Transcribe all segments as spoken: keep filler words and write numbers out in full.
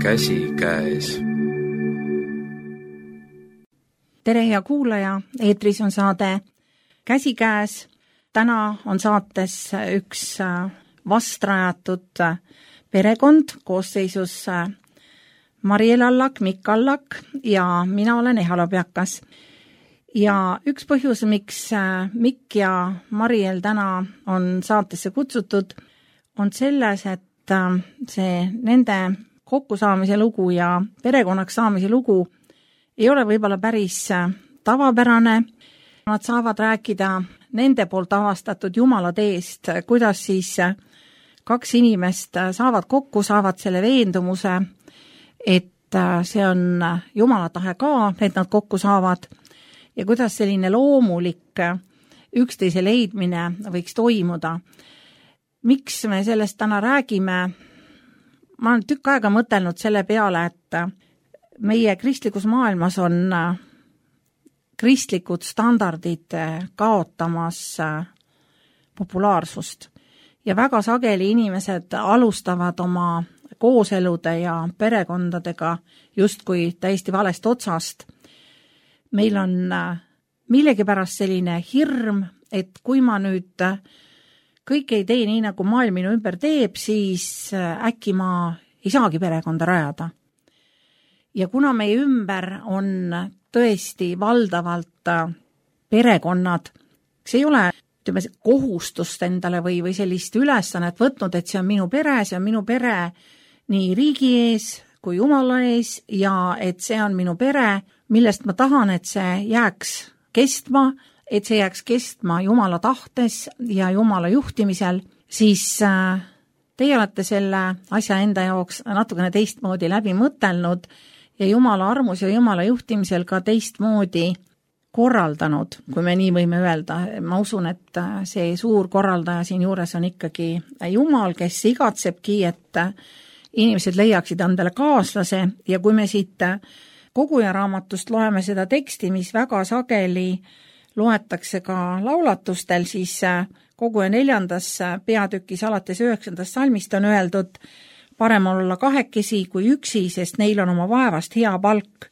Käsikäes. Tere hea kuulaja, eetris on saade Käsikäes. Täna on saates üks vastrajatud perekond koosseisus Mariel Allak, Mikk Allak ja mina olen Ehala Peakas. Ja üks põhjus, miks Mikk ja Mariel täna on saatesse kutsutud, on selles, et see nende kokkusaamise lugu ja perekonnaks saamise lugu ei ole võib-olla päris tavapärane. Nad saavad rääkida nende poolt avastatud Jumala teest, kuidas siis kaks inimest saavad kokku, saavad selle veendumuse, et see on Jumala tahe ka, et nad kokku saavad ja kuidas selline loomulik üksteise leidmine võiks toimuda. Miks me sellest täna räägime? Ma olen tükk aega mõtelnud selle peale, et meie kristlikus maailmas on kristlikud standardid kaotamas populaarsust. Ja väga sageli inimesed alustavad oma kooselude ja perekondadega justkui täiesti valest otsast. Meil on millegipärast selline hirm, et kui ma nüüd kõik ei tee nii, nagu maailm minu ümber teeb, siis äkki ma ei saagi perekonda rajada. Ja kuna meie ümber on tõesti valdavalt perekonnad, see ei ole ütleme, kohustust endale või, või sellist ülesannet võtnud, et see on minu pere, see on minu pere nii riigi ees kui Jumala ees ja et see on minu pere, millest ma tahan, et see jääks kestma, et see jääks kestma Jumala tahtes ja Jumala juhtimisel, siis teie olete selle asja enda jaoks natukene teistmoodi läbi mõtelnud ja Jumala armus ja Jumala juhtimisel ka teistmoodi korraldanud, kui me nii võime öelda. Ma usun, et see suur korraldaja siin juures on ikkagi Jumal, kes igatsebki, et inimesed leiaksid endale kaaslase ja kui me siit koguja raamatust loeme seda teksti, mis väga sageli loetakse ka laulatustel, siis koguja neljandas peatükis alates üheksandast salmist on öeldud, parem olla kahekesi kui üksi, sest neil on oma vaevast hea palk.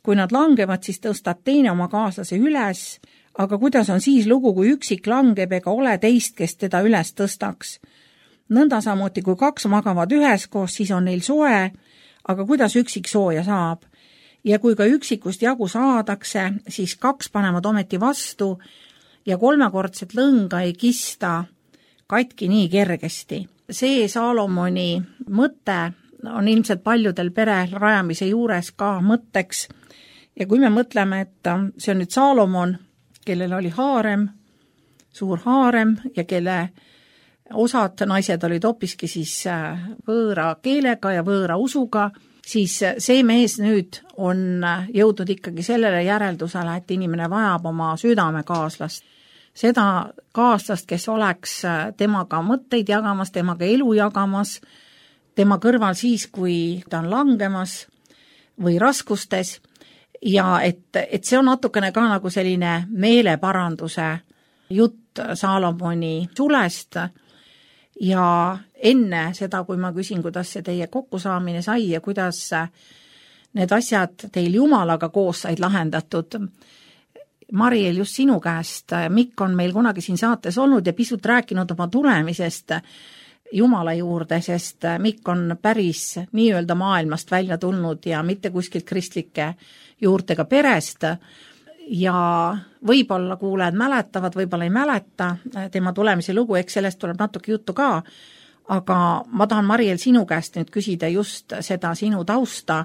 Kui nad langevad, siis tõstab teine oma kaaslase üles, aga kuidas on siis lugu, kui üksik langeb ega ole teist, kes teda üles tõstaks? Nõnda samuti, kui kaks magavad üheskoos, siis on neil soe, aga kuidas üksik sooja saab? Ja kui ka üksikust jagu saadakse, siis kaks panevad ometi vastu ja kolmekordset lõnga ei kista katki nii kergesti. See Saalomoni mõte on ilmselt paljudel pere rajamise juures ka mõtteks. Ja kui me mõtleme, et see on nüüd Saalomon, kellel oli haarem, suur haarem ja kelle osad naised olid hoopiski siis võõra keelega ja võõra usuga, siis see mees nüüd on jõudnud ikkagi sellele järeldusele, et inimene vajab oma südamekaaslast. Seda kaaslast, kes oleks temaga mõtteid jagamas, temaga elu jagamas, tema kõrval siis, kui ta on langemas või raskustes. Ja et, et see on natukene ka nagu selline meeleparanduse jutt Saalomoni sulest. Ja enne seda, kui ma küsin, kuidas see teie kokkusaamine sai ja kuidas need asjad teil Jumalaga koos said lahendatud. Mariel, just sinu käest, Mikk on meil kunagi siin saates olnud ja pisut rääkinud oma tulemisest Jumala juurde, sest Mikk on päris nii-öelda maailmast välja tulnud ja mitte kuskilt kristlike juurtega perest. Ja võib-olla kuulajad mäletavad, võib-olla ei mäleta tema tulemise lugu, eks sellest tuleb natuke juttu ka, aga ma tahan, Mariel, sinu käest nüüd küsida just seda sinu tausta,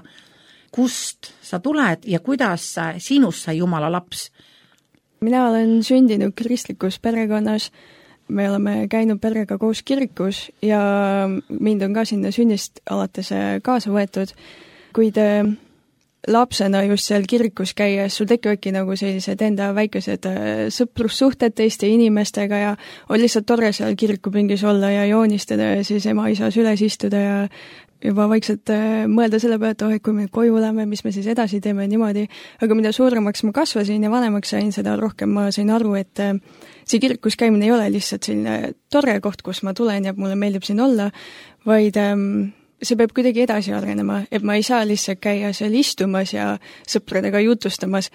kust sa tuled ja kuidas sinust sai Jumala laps? Mina olen sündinud kristlikus perekonnas, me oleme käinud perega koos kirikus ja mind on ka sinna sünnist alates kaasa võetud, kuid lapsena just seal kirikus käies, sul tekivadki nagu sellised enda väikesed sõprussuhted teiste inimestega ja on lihtsalt tore seal kirikupingis olla ja joonistada ja siis ema isa süles istuda ja juba vaikselt mõelda selle peale, et oh, et kui me koju oleme, mis me siis edasi teeme niimoodi. Aga mida suuremaks ma kasvasin ja vanemaks sain, seda rohkem ma sain aru, et see kirikus käimine ei ole lihtsalt selline tore koht, kus ma tulen ja mulle meeldib siin olla, vaid see peab kuidagi edasi arenema, et ma ei saa lihtsalt käia seal istumas ja sõpradega jutustamas.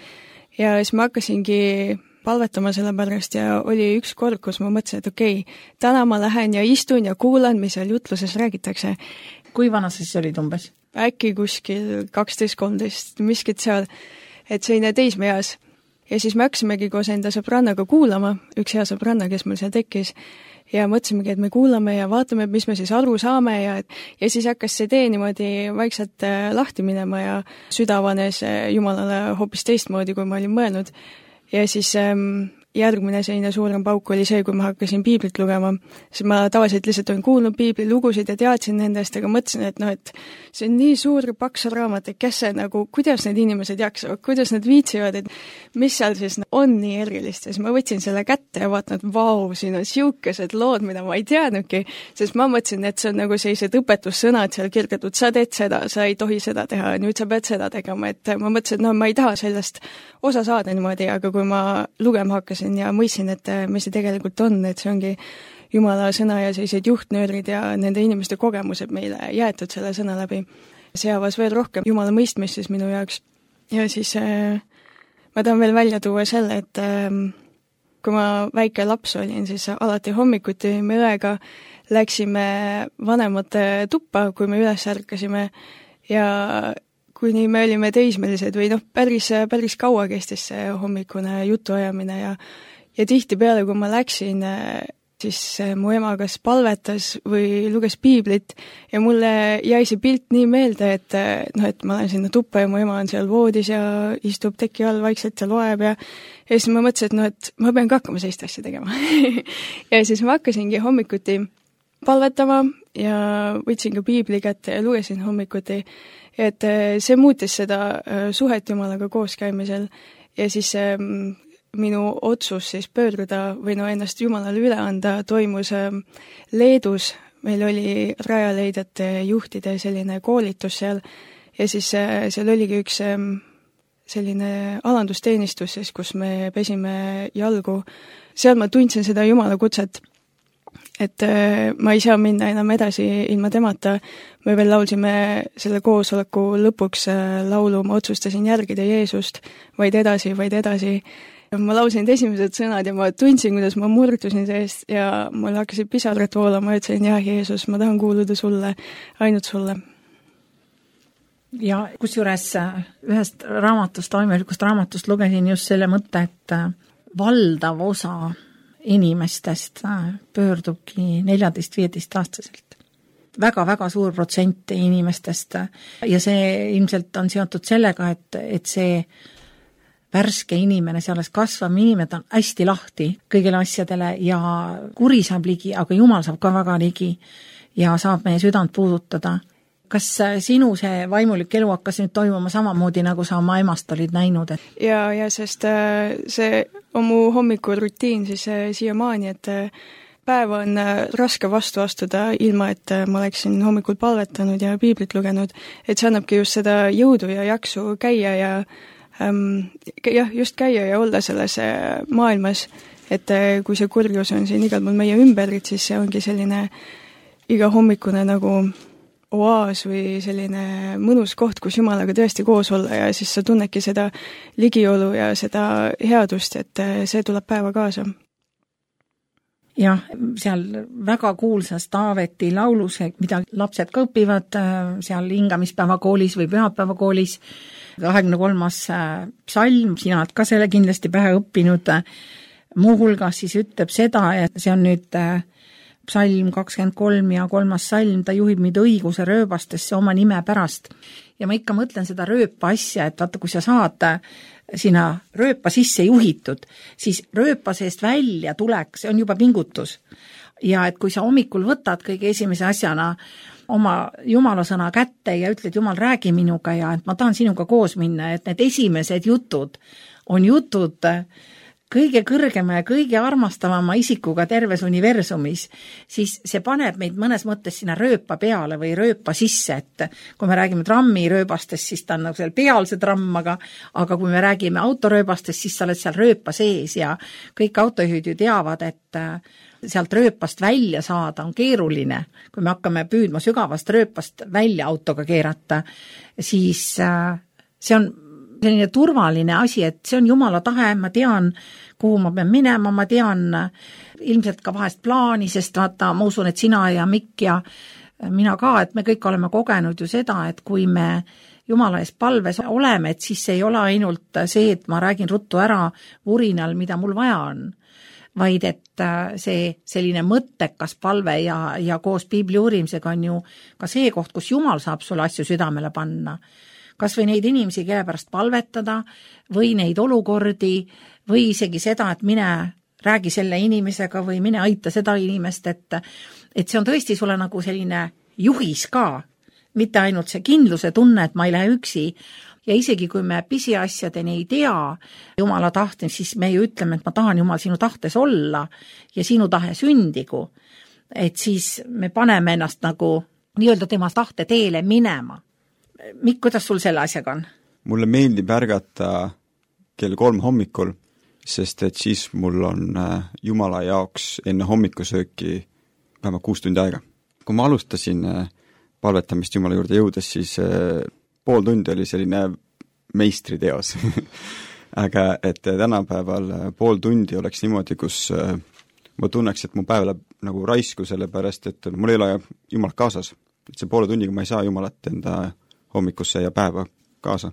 Ja siis ma hakkasingi palvetama selle pärast ja oli üks kord, kus ma mõtlesin, et okei, okay, täna ma lähen ja istun ja kuulan, mis seal jutluses räägitakse. Kui vana sa siis olid umbes? Äkki kuskil kaksteist kolmteist, miskit seal, et selline teismeeas. Ja siis me hakkasimegi koos enda sõbrannaga kuulama, üks hea sõbranna, kes meil seal tekkis, ja mõtlesimegi, et me kuulame ja vaatame, mis me siis aru saame ja, ja siis hakkas see tee niimoodi vaikselt lahti minema ja südavanes Jumalale hoopis teistmoodi, kui ma olin mõelnud. Ja siis ähm, järgmine selline suurem pauk oli see, kui ma hakkasin piiblit lugema, siis ma tavaliselt lihtsalt olen kuulnud piiblilugusid ja teadsin nendest, aga mõtlesin, et noh, et see on nii suur paks raamat, et kes see nagu, kuidas need inimesed jaksavad, kuidas nad viitsivad, et mis seal siis on nii erilist, ja siis ma võtsin selle kätte ja vaatan, et vau, siin on siukesed lood, mida ma ei teadnudki, sest ma mõtlesin, et see on nagu sellised õpetussõnad seal kirjutatud, sa teed seda, sa ei tohi seda teha, nüüd sa pead seda tegema, et ma mõtlesin, et no ma ei taha sellest osa saada niimoodi, aga kui ma lugema hakkasin ja mõistsin, et mis see tegelikult on, et see ongi Jumala sõna ja sellised juhtnöörid ja nende inimeste kogemused meile jäetud selle sõna läbi. See avas veel rohkem Jumala mõistmist siis minu jaoks. Ja siis äh, ma tahan veel välja tuua selle, et äh, kui ma väike laps olin, siis alati hommikuti me õega läksime vanemate tuppa, kui me üles ärkasime ja kuni me olime teismelised või noh, päris, päris kaua kestis see hommikune jutuajamine ja, ja tihtipeale, kui ma läksin, siis mu ema kas palvetas või luges piiblit ja mulle jäi see pilt nii meelde, et, noh, et ma olen sinna tuppa ja mu ema on seal voodis ja istub teki all vaikselt ja loeb ja, ja siis ma mõtlesin, et noh, et ma pean ka hakkama sellist asja tegema. Ja siis ma hakkasingi hommikuti palvetama ja võtsin ka piibli kätte ja lugesin hommikuti, et see muutis seda suhet Jumalaga koos käimisel ja siis minu otsus siis pöörduda või no ennast Jumalale üle anda toimus Leedus, meil oli Rajaleidjate juhtide selline koolitus seal ja siis seal oligi üks selline alandusteenistus, siis, kus me pesime jalgu. Seal ma tundsin seda Jumala kutset, et ma ei saa minna enam edasi ilma temata. Me veel laulsime selle koosoleku lõpuks laulu, ma otsustasin järgida Jeesust, vaid edasi, vaid edasi. Ma laulsin need esimesed sõnad ja ma tundsin, kuidas ma murdusin seest ja mul hakkasid pisarad voolama ja ütlesin, jah, Jeesus, ma tahan kuuluda sulle, ainult sulle. Ja kusjuures ühest raamatust, toimelikust raamatust lugesin just selle mõtte, et valdav osa inimestest pöördubki neljateist-viieteist aastaselt. Väga-väga suur protsent inimestest ja see ilmselt on seotud sellega, et, et see värske inimene, see alles kasvav inimene on hästi lahti kõigile asjadele ja kuri saab ligi, aga Jumal saab ka väga ligi ja saab meie südant puudutada. Kas sinu see vaimulik elu hakkas nüüd toimuma samamoodi, nagu sa oma emast olid näinud? Et... Ja, ja sest see on mu hommikurutiin siis siiamaani, et päev on raske vastu astuda ilma, et ma oleksin hommikul palvetanud ja piiblit lugenud, et see annabki just seda jõudu ja jaksu käia ja ähm, jah, just käia ja olla selles maailmas, et kui see kurjus on siin igal pool meie ümberit, siis see ongi selline iga hommikune nagu oaas või selline mõnus koht, kus Jumalaga tõesti koos olla ja siis sa tunnedki seda ligiolu ja seda headust, et see tuleb päeva kaasa. Jah, seal väga kuulsas Taaveti laulus, mida lapsed ka õpivad seal hingamispäeva koolis või pühapäeva koolis, kahekümne kolmas psalm, sina oled ka selle kindlasti pähe õppinud, muuhulgas siis ütleb seda, et see on nüüd psalm kakskümmend kolm ja kolmas salm, ta juhib meid õiguse rööbastesse oma nime pärast. Ja ma ikka mõtlen seda rööpa asja, et vaata, kui sa saad sinna rööpa sisse juhitud, siis rööpa seest välja tuleks, see on juba pingutus. Ja et kui sa hommikul võtad kõige esimese asjana oma Jumala sõna kätte ja ütled, Jumal, räägi minuga ja et ma tahan sinuga koos minna, et need esimesed jutud on jutud kõige kõrgema ja kõige armastavama isikuga terves universumis, siis see paneb meid mõnes mõttes sinna rööpa peale või rööpa sisse, et kui me räägime trammi rööbastest, siis ta on nagu seal peal see tramm, aga, aga kui me räägime autorööbastest, siis sa oled seal rööpa sees ja kõik autojuhid ju teavad, et sealt rööpast välja saada on keeruline, kui me hakkame püüdma sügavast rööpast välja autoga keerata, siis see on selline turvaline asi, et see on Jumala tahe, ma tean, kuhu ma pean minema, ma tean ilmselt ka vahest plaani, sest vaata, ma usun, et sina ja Mikk ja mina ka, et me kõik oleme kogenud ju seda, et kui me Jumala ees palves oleme, et siis ei ole ainult see, et ma räägin ruttu ära vurinal, mida mul vaja on, vaid et see selline mõttekas palve ja, ja koos piibli uurimisega on ju ka see koht, kus Jumal saab sulle asju südamele panna. Kas või neid inimesi, kelle pärast palvetada või neid olukordi või isegi seda, et mine räägi selle inimesega või mine aita seda inimest, et, et see on tõesti sulle nagu selline juhis ka, mitte ainult see kindluse tunne, et ma ei lähe üksi. Ja isegi kui me pisiasjadeni ei tea Jumala tahte, siis me ju ütleme, et ma tahan Jumal sinu tahtes olla ja sinu tahe sündigu. Et siis me paneme ennast nagu nii-öelda tema tahte teele minema. Mikk, kuidas sul selle asjaga on? Mulle meeldib ärgata kell kolm hommikul, sest et siis mul on Jumala jaoks enne hommikusööki vähemalt kuus tundi aega. Kui ma alustasin palvetamist Jumala juurde jõudes, siis pool tundi oli selline meistriteos. Aga et tänapäeval pool tundi oleks niimoodi, kus ma tunneks, et mu päev läheb nagu raisku, sellepärast, et mul ei ole Jumalat kaasas. Et see poole tundiga ma ei saa Jumalat enda hommikusse ja päeva kaasa.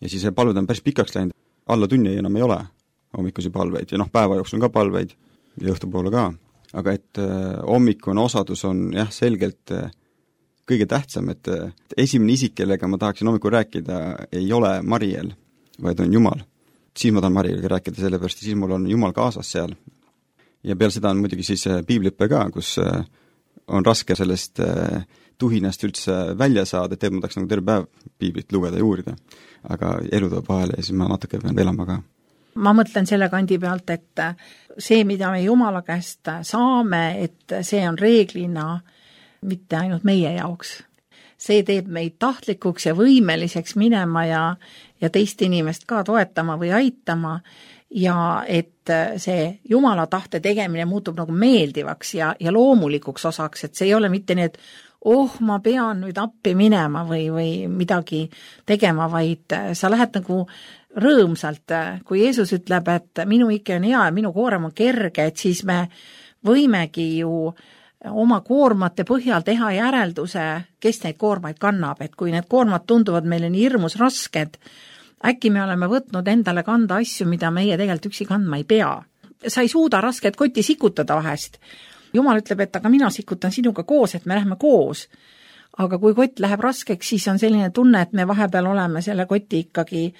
Ja siis palved on päris pikaks läinud. Alla tunni enam ei ole hommikusi palveid ja noh, päeva jooksul on ka palveid ja õhtupoole ka. Aga et hommikune osadus on jah, selgelt kõige tähtsam, et esimene isik, kellega ma tahaksin hommikul rääkida, ei ole Mariel, vaid on Jumal. Siis ma tahan Marieliga rääkida, sellepärast siis mul on Jumal kaasas seal. Ja peale seda on muidugi siis piibliõpe ka, kus on raske sellest tuhinast üldse välja saada, et ma tahaks nagu terve päev piiblit lugeda ja uurida. Aga elu toob vahele ja siis ma natuke pean elama ka. Ma mõtlen selle kandi pealt, et see, mida me Jumala käest saame, et see on reeglina mitte ainult meie jaoks. See teeb meid tahtlikuks ja võimeliseks minema ja, ja teist inimest ka toetama või aitama ja et see Jumala tahte tegemine muutub nagu meeldivaks ja, ja loomulikuks osaks, et see ei ole mitte nii, et oh, ma pean nüüd appi minema või, või midagi tegema, vaid sa lähed nagu rõõmsalt, kui Jeesus ütleb, et minu ikke on hea ja minu koorem on kerge, et siis me võimegi ju oma koormate põhjal teha järelduse, kes neid koormaid kannab, et kui need koormad tunduvad meile nii hirmus rasked, äkki me oleme võtnud endale kanda asju, mida meie tegelikult üksi kandma ei pea. Sa ei suuda rasket kotti sikutada vahest. Jumal ütleb, et aga mina sikutan sinuga koos, et me läheme koos. Aga kui kott läheb raskeks, siis on selline tunne, et me vahepeal oleme selle koti ikkagi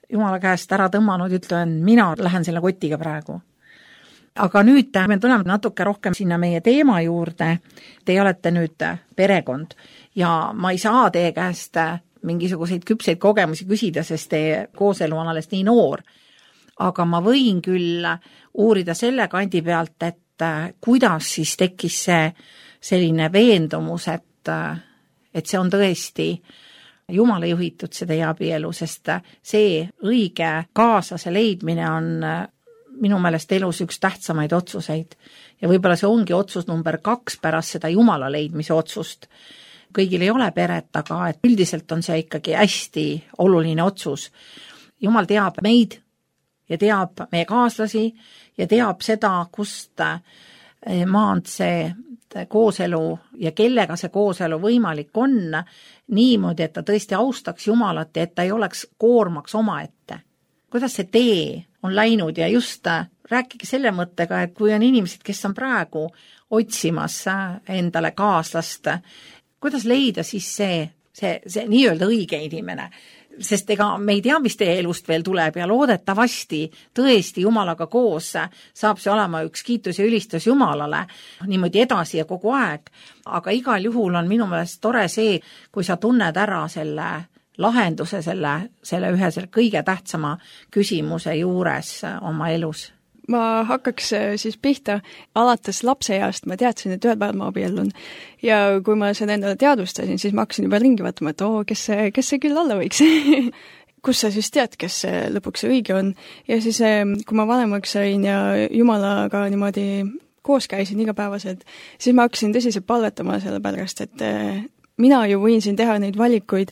Jumala käest ära tõmmanud, ütlen, mina lähen selle kotiga praegu. Aga nüüd me tuleme natuke rohkem sinna meie teema juurde. Te olete nüüd perekond ja ma ei saa teie käest mingisuguseid küpseid kogemusi küsida, sest teie kooselu on alles nii noor. Aga ma võin küll uurida selle kandi pealt, et kuidas siis tekkis see selline veendumus, et, et see on tõesti Jumala juhitud see teie abielu, sest see õige kaaslase leidmine on minu meelest elus üks tähtsamaid otsuseid ja võib-olla see ongi otsus number kaks pärast seda Jumala leidmise otsust. Kõigil ei ole peret, aga et üldiselt on see ikkagi hästi oluline otsus. Jumal teab meid ja teab meie kaaslasi ja teab seda, kust maand see kooselu ja kellega see kooselu võimalik on niimoodi, et ta tõesti austaks Jumalat ja et ta ei oleks koormaks omaette. Kuidas see tee on läinud ja just rääkige selle mõttega, et kui on inimesed, kes on praegu otsimas endale kaaslast, kuidas leida siis see, see, see nii-öelda õige inimene? Sest ega me ei tea, mis teie elust veel tuleb ja loodetavasti tõesti Jumalaga koos saab see olema üks kiitus ja ülistus Jumalale niimoodi edasi ja kogu aeg. Aga igal juhul on minu meelest tore see, kui sa tunned ära selle lahenduse selle, selle ühe selle kõige tähtsama küsimuse juures oma elus. Ma hakkaks siis pihta, alates lapseeast ma teadsin, et ühel päeval ma abiellun. Ja kui ma seda endale teadvustasin, siis ma hakkasin juba ringi vaatama, et oo, kes see, kes see küll alla võiks. Kus sa siis tead, kes see lõpuks õige on. Ja siis, kui ma vanemaks sain ja Jumalaga niimoodi koos käisin igapäevaselt, siis ma hakkasin tõsiselt palvetama selle pärast, et mina ju võin siin teha neid valikuid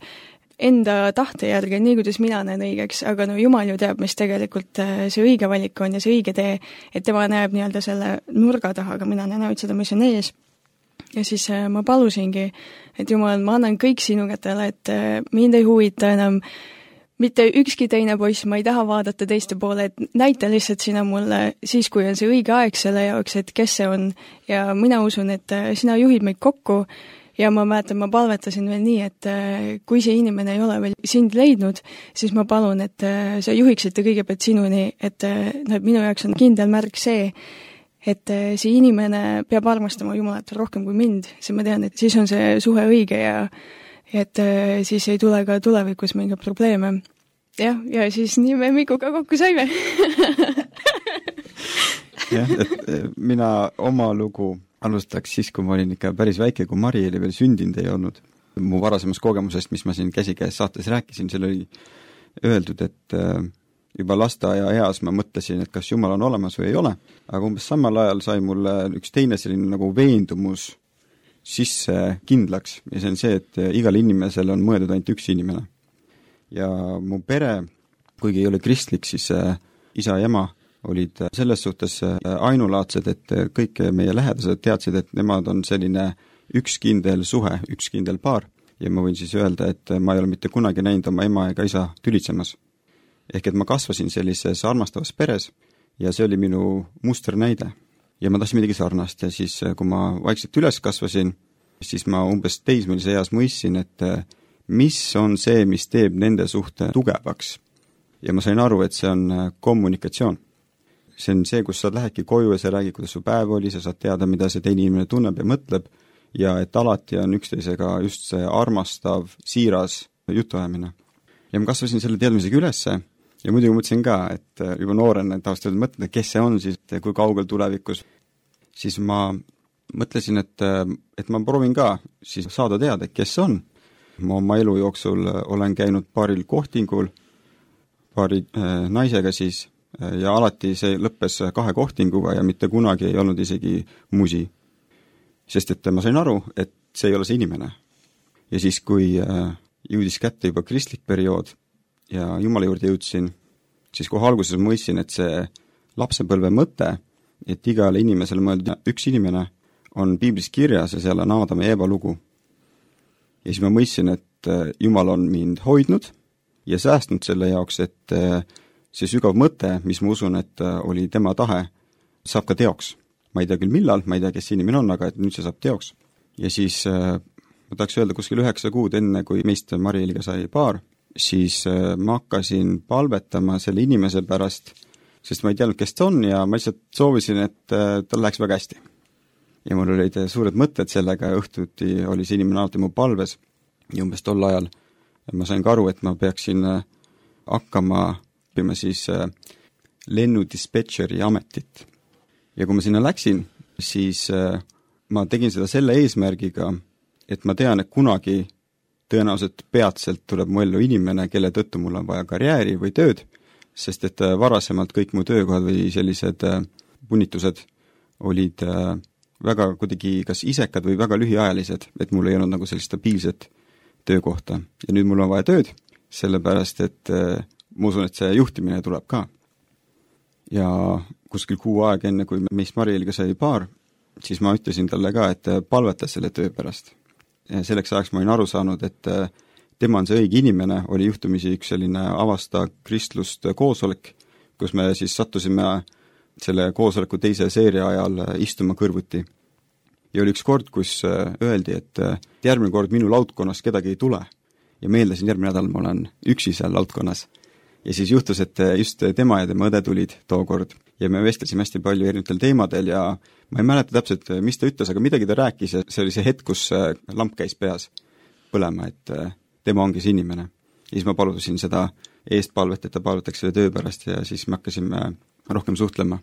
enda tahte järgi, nii kuidas mina näen õigeks, aga no Jumal ju teab, mis tegelikult see õige valik on ja see õige tee, et tema näeb nii-öelda selle nurga taha, aga mina näen ainult seda, mis on ees. Ja siis ma palusingi, et Jumal, ma annan kõik sinu kätele, et mind ei huvita enam mitte ükski teine poiss, ma ei taha vaadata teiste poole, et näita lihtsalt sina mulle siis, kui on see õige aeg selle jaoks, et kes see on. Ja mina usun, et sina juhid meid kokku ja ma mäletan, ma palvetasin veel nii, et kui see inimene ei ole veel sind leidnud, siis ma palun, et sa juhiksid kõigepealt sinuni, et no, minu jaoks on kindel märk see, et see inimene peab armastama Jumalat rohkem kui mind, siis ma tean, et siis on see suhe õige ja et siis ei tule ka tulevikus mingeid probleeme. Jah, ja siis nii me Mikuga kokku saime. Jah, et mina oma lugu alustaks siis, kui ma olin ikka päris väike, kui Mari oli veel sündinud ei olnud. Mu varasemast kogemusest, mis ma siin käsikäes saates rääkisin, seal oli öeldud, et juba lasteaia eas ma mõtlesin, et kas Jumal on olemas või ei ole, aga umbes samal ajal sai mulle üks teine selline nagu veendumus sisse kindlaks ja see on see, et igal inimesel on mõeldud ainult üks inimene. Ja mu pere, kuigi ei ole kristlik, siis isa ja ema olid selles suhtes ainulaadsed, et kõik meie lähedased teadsid, et nemad on selline üks kindel suhe, üks kindel paar ja ma võin siis öelda, et ma ei ole mitte kunagi näinud oma ema ega isa tülitsemas. Ehk et ma kasvasin sellises armastavas peres ja see oli minu musternäide. Ja ma tahtsin midagi sarnast ja siis, kui ma vaikselt üles kasvasin, siis ma umbes teismelise eas mõistsin, et mis on see, mis teeb nende suhte tugevaks. Ja ma sain aru, et see on kommunikatsioon. See on see, kus sa lähedki koju ja sa räägid, kuidas su päev oli, sa saad teada, mida see teine inimene tunneb ja mõtleb ja et alati on üksteisega just see armastav, siiras jutuajamine. Ja ma kasvasin selle teadmisega ülesse ja muidugi mõtlesin ka, et juba noorena taustal mõtled, kes see on siis, kui kaugel tulevikus, siis ma mõtlesin, et, et ma proovin ka siis saada teada, kes see on. Ma oma elu jooksul olen käinud paaril kohtingul, paari äh, naisega siis ja alati see lõppes kahe kohtinguga ja mitte kunagi ei olnud isegi musi. Sest et ma sain aru, et see ei ole see inimene. Ja siis, kui äh, jõudis kätte juba kristlik periood, ja Jumala juurde jõudsin, siis kohe alguses mõistsin, et see lapsepõlve mõte, et igale inimesele mõeldud üks inimene, on piiblis kirjas ja seal on Aadama ja Eeva lugu. Ja siis ma mõistsin, et Jumal on mind hoidnud ja säästnud selle jaoks, et see sügav mõte, mis ma usun, et oli tema tahe, saab ka teoks. Ma ei tea küll millal, ma ei tea, kes see inimene on, aga et nüüd see saab teoks. Ja siis ma tahaks öelda kuskil üheksa kuud enne, kui meist Mari-Eliga sai paar, siis ma hakkasin palvetama selle inimese pärast, sest ma ei teadnud, kes ta on ja ma lihtsalt soovisin, et tal läheks väga hästi. Ja mul olid suured mõtted sellega ja õhtuti oli see inimene alati mu palves ja umbes tol ajal ma sain ka aru, et ma peaksin hakkama õppima siis lennudispetšeri ametit. Ja kui ma sinna läksin, siis ma tegin seda selle eesmärgiga, et ma tean, et kunagi tõenäoliselt peatselt tuleb mu ellu inimene, kelle tõttu mul on vaja karjääri või tööd, sest et varasemalt kõik mu töökohad või sellised punnitused olid väga kuidagi kas isekad või väga lühiajalised, et mul ei olnud nagu sellist stabiilset töökohta. Ja nüüd mul on vaja tööd, sellepärast et ma usun, et see juhtimine tuleb ka. Ja kuskil kuu aeg enne, kui meist Mari-Eliga sai paar, siis ma ütlesin talle ka, et palveta selle töö pärast. Ja selleks ajaks ma olin aru saanud, et tema on see õige inimene, oli juhtumisi üks selline avasta kristlust koosolek, kus me siis sattusime selle koosoleku teise seeria ajal istuma kõrvuti. Ja oli üks kord, kus öeldi, et järgmine kord minu laudkonnas kedagi ei tule. Ja meeldasin järgmine nädal, ma olen üksi seal laudkonnas. Ja siis juhtus, et just tema ja tema õde tulid tookord. Ja me vestlesime hästi palju erinevatel teemadel ja ma ei mäleta täpselt, mis ta ütles, aga midagi ta rääkis ja see oli see hetk, kus lamp käis peas põlema, et tema ongi see inimene. Ja siis ma palusin seda eestpalvet, et ta palvetaks selle töö pärast ja siis me hakkasime rohkem suhtlema.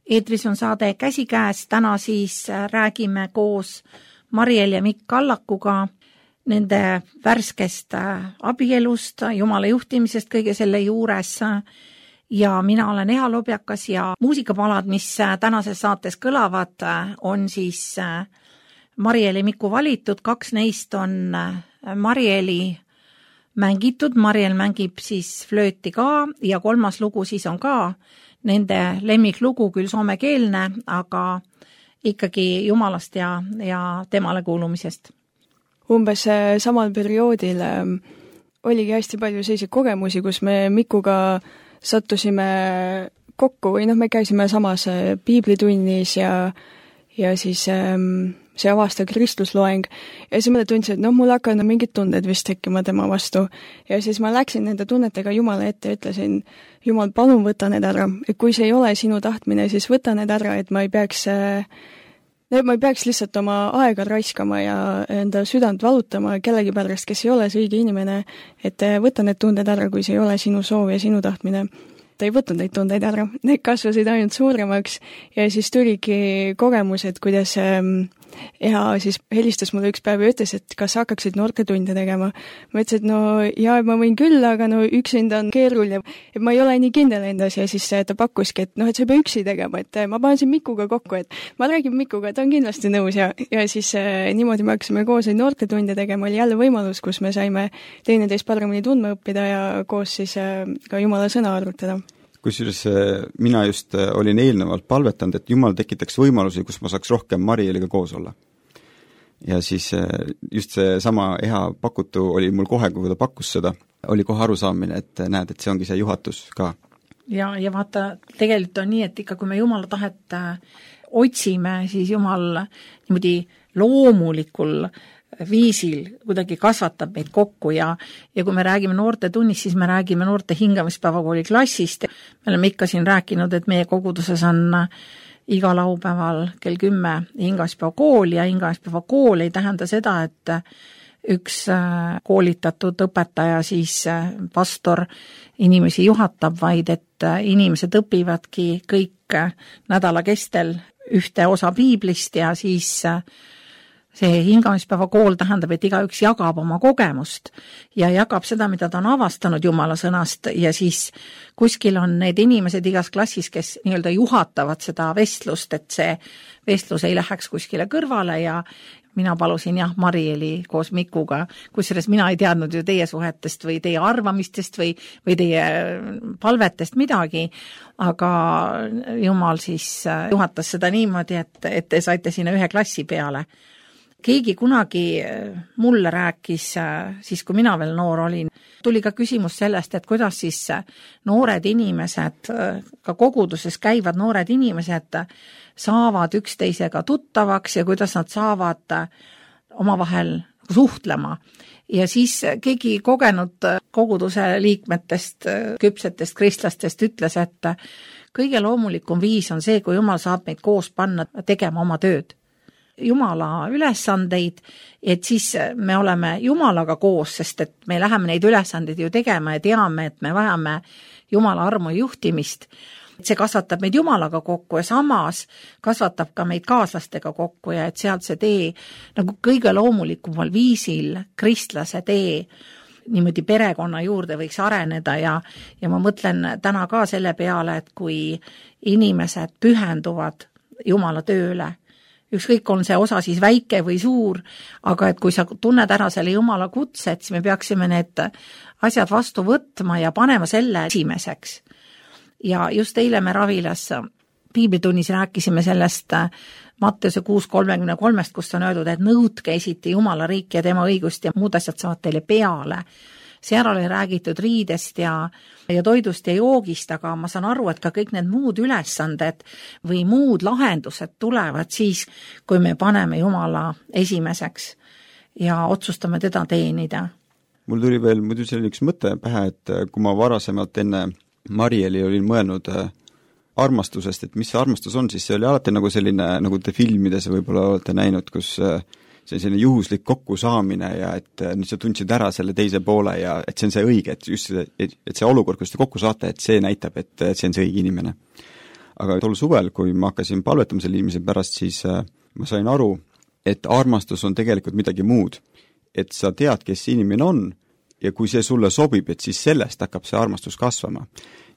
eetris on saade Käsikäes, täna siis räägime koos Mariel ja Mikk Kallakuga nende värskest abielust, Jumala juhtimisest kõige selle juures ja mina olen Eha Lobjakas ja muusikapalad, mis tänases saates kõlavad, on siis Mariel ja Miku valitud, kaks neist on Marieli mängitud, Mariel mängib siis flööti ka ja kolmas lugu siis on ka nende lemmiklugu, küll soomekeelne, aga ikkagi Jumalast ja, ja temale kuulumisest. Umbes samal perioodil oligi hästi palju selliseid kogemusi, kus me Mikuga sattusime kokku või noh, me käisime samas piiblitunnis ja, ja siis see avastav kristlusloeng ja siis ma tundsin, et noh, mul hakkavad mingid tunded vist tekkima tema vastu ja siis ma läksin nende tunnetega Jumala ette ja ütlesin, Jumal, palun võta need ära, et kui see ei ole sinu tahtmine, siis võta need ära, et ma ei peaks ma ei peaks lihtsalt oma aega raiskama ja enda südant valutama kellegi pärast, kes ei ole see õige inimene, et võta need tunded ära, kui see ei ole sinu soov ja sinu tahtmine. Ta ei võtnud neid tundeid ära, need kasvasid ainult suuremaks ja siis tuligi kogemus, et kuidas Eha siis helistas mulle üks päev ja ütles, et kas hakkaksid noortetunde tegema. Ma ütlesin, et no jaa, ma võin küll, aga no üksinda on keeruline, et ma ei ole nii kindel endas ja siis ta pakkuski, et noh, et sa ei pea üksi tegema, et ma panen siin Mikuga kokku, et ma räägin Mikuga, ta on kindlasti nõus ja, ja siis niimoodi me hakkasime koos neid noortetunde tegema, oli jälle võimalus, kus me saime teineteist paremini tundma õppida ja koos siis ka Jumala sõna arutada. Kusjuures mina just olin eelnevalt palvetanud, et Jumal tekitaks võimalusi, kus ma saaks rohkem Marieliga koos olla. Ja siis just see sama Eha pakutu oli mul kohe, kui ta pakkus seda, oli kohe arusaamine, et näed, et see ongi see juhatus ka. Ja, ja vaata, tegelikult on nii, et ikka kui me Jumala tahet otsime, siis Jumal niimoodi loomulikul viisil kuidagi kasvatab meid kokku ja, ja kui me räägime noorte tunnis, siis me räägime noorte hingamispäevakooli klassist. Me oleme ikka siin rääkinud, et meie koguduses on iga laupäeval kell kümme hingamispäevakool ja hingamispäevakool ei tähenda seda, et üks koolitatud õpetaja, siis pastor inimesi juhatab, vaid et inimesed õpivadki kõik nädala kestel ühte osa piiblist ja siis see hingamispäeva kool tähendab, et igaüks jagab oma kogemust ja jagab seda, mida ta on avastanud Jumala sõnast ja siis kuskil on need inimesed igas klassis, kes nii-öelda juhatavad seda vestlust, et see vestlus ei läheks kuskile kõrvale ja mina palusin jah Marieli koos Mikuga, kusjuures mina ei teadnud ju teie suhetest või teie arvamistest või, või teie palvetest midagi, aga Jumal siis juhatas seda niimoodi, et, et te saite sinna ühe klassi peale. Keegi kunagi mulle rääkis, siis kui mina veel noor olin, tuli ka küsimus sellest, et kuidas siis noored inimesed, ka koguduses käivad noored inimesed, saavad üksteisega tuttavaks ja kuidas nad saavad omavahel suhtlema. Ja siis keegi kogenud koguduse liikmetest, küpsetest kristlastest ütles, et kõige loomulikum viis on see, kui Jumal saab meid koos panna tegema oma tööd. Jumala ülesandeid, et siis me oleme Jumalaga koos, sest et me läheme neid ülesandeid ju tegema ja teame, et me vajame Jumala armu juhtimist. See kasvatab meid Jumalaga kokku ja samas kasvatab ka meid kaaslastega kokku ja et sealt see tee nagu kõige loomulikumal viisil kristlase tee niimoodi perekonna juurde võiks areneda ja, ja ma mõtlen täna ka selle peale, et kui inimesed pühenduvad Jumala tööle, ükskõik on see osa siis väike või suur, aga et kui sa tunned ära selle Jumala kutset, siis me peaksime need asjad vastu võtma ja panema selle esimeseks. Ja just eile me Ravilas piiblitunnis rääkisime sellest Matteuse kuus kolmekümne kolmest, kus on öeldud, et nõudke esiti Jumala riiki ja tema õigust ja muud asjad saavad teile peale. Seal oli räägitud riidest ja, ja toidust ja joogist, aga ma saan aru, et ka kõik need muud ülesanded või muud lahendused tulevad siis, kui me paneme Jumala esimeseks ja otsustame teda teenida. Mul tuli veel muidu selline üks mõte pähe, et kui ma varasemalt enne Marieli olin mõelnud armastusest, et mis see armastus on, siis see oli alati nagu selline, nagu te filmides võib-olla olete näinud, kus see on selline juhuslik kokkusaamine ja et nüüd sa tundsid ära selle teise poole ja et see on see õige, et just see, et see olukord, kus te kokku saate, et see näitab, et see on see õige inimene. aga tol suvel, kui ma hakkasin palvetama selle inimese pärast, siis ma sain aru, et armastus on tegelikult midagi muud. Et sa tead, kes see inimene on ja kui see sulle sobib, et siis sellest hakkab see armastus kasvama.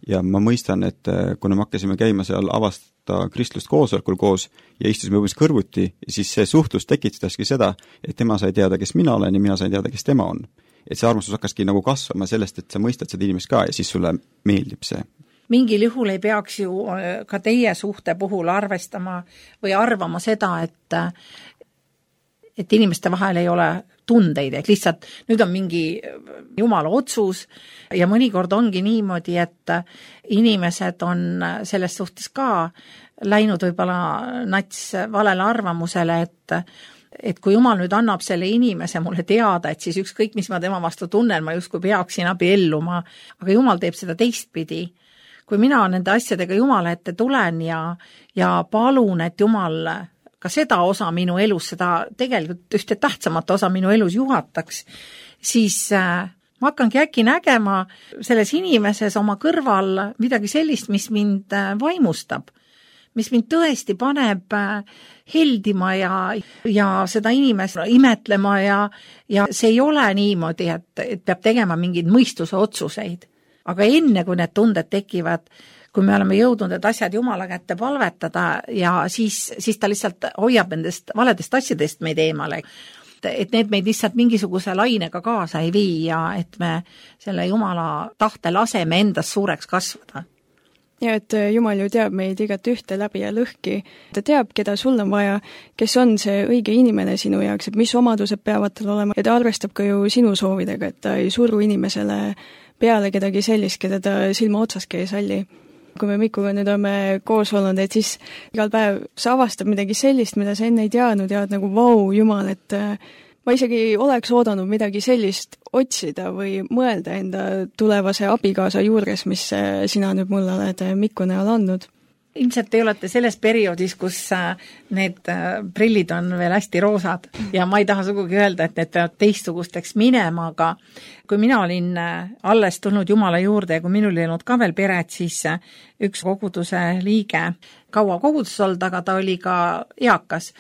Ja ma mõistan, et kuna me hakkasime käima seal avasta kristlust koosolekul koos ja istusime umbes kõrvuti, siis see suhtlus tekitaski seda, et tema sai teada, kes mina olen ja mina sain teada, kes tema on. Et see armastus hakkaski nagu kasvama sellest, et sa mõistad seda inimest ka ja siis sulle meeldib see. Mingil juhul ei peaks ju ka teie suhte puhul arvestama või arvama seda, et et inimeste vahel ei ole tundeid, et lihtsalt nüüd on mingi jumala otsus ja mõnikord ongi niimoodi, et inimesed on selles suhtes ka läinud võib-olla nats valele arvamusele, et et kui jumal nüüd annab selle inimese mulle teada, et siis ükskõik, mis ma tema vastu tunnen, ma justkui peaksin abielluma, aga jumal teeb seda teistpidi. Kui mina nende asjadega jumala ette tulen ja, ja palun, et jumal ka seda osa minu elus, seda tegelikult ühte tähtsamat osa minu elus juhataks, siis äh, ma hakkangi äkki nägema selles inimeses oma kõrval midagi sellist, mis mind äh, vaimustab, mis mind tõesti paneb äh, heldima ja, ja seda inimest imetlema ja, ja see ei ole niimoodi, et, et peab tegema mingeid mõistuse otsuseid. Aga enne, kui need tunded tekivad, kui me oleme jõudnud need asjad Jumala kätte palvetada ja siis, siis ta lihtsalt hoiab nendest valedest asjadest meid eemale. Et need meid lihtsalt mingisuguse lainega kaasa ei vii ja et me selle Jumala tahte laseme endast suureks kasvada. Ja et Jumal ju teab meid igat ühte läbi ja lõhki. Ta teab, keda sul on vaja, kes on see õige inimene sinu jaoks, et mis omadused peavad tal olema. Ja ta arvestab ka ju sinu soovidega, et ta ei suru inimesele peale kedagi sellist, keda ta silma otsaski ei salli. Kui me Mikuga nüüd oleme koos olnud, et siis igal päev sa avastab midagi sellist, mida sa enne ei teadnud ja oled nagu vau, Jumal, et ma isegi oleks oodanud midagi sellist otsida või mõelda enda tulevase abikaasa juures, mis sina nüüd mulle oled Miku näol andnud. Ilmselt te olete selles perioodis, kus need prillid on veel hästi roosad ja ma ei taha sugugi öelda, et need peavad teistsugusteks minema, aga kui mina olin alles tulnud Jumala juurde ja kui minul ei olnud ka veel peret, siis üks koguduse liige kaua koguduses olnud, aga ta oli ka eakas,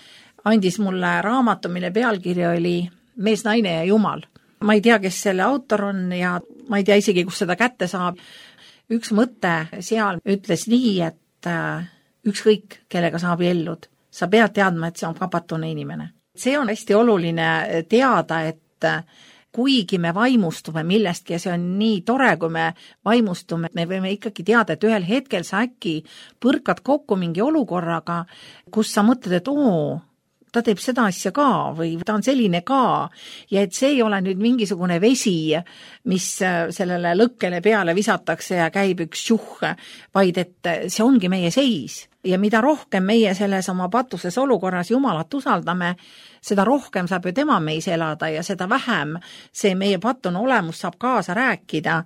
andis mulle raamatu, mille pealkiri oli Mees, naine ja Jumal. Ma ei tea, kes selle autor on ja ma ei tea isegi, kus seda kätte saab. Üks mõte seal ütles nii, et ükskõik, kellega sa abiellud, sa pead teadma, et see on vabastune inimene. See on hästi oluline teada, et kuigi me vaimustume millestki ja see on nii tore, kui me vaimustume, me võime ikkagi teada, et ühel hetkel sa äkki põrkad kokku mingi olukorraga, kus sa mõtled, et oo, ta teeb seda asja ka või ta on selline ka ja et see ei ole nüüd mingisugune vesi, mis sellele lõkkele peale visatakse ja käib üks juh, vaid et see ongi meie seis. Ja mida rohkem meie selles oma patuses olukorras Jumalat usaldame, seda rohkem saab ju tema meis elada ja seda vähem see meie patune olemus saab kaasa rääkida,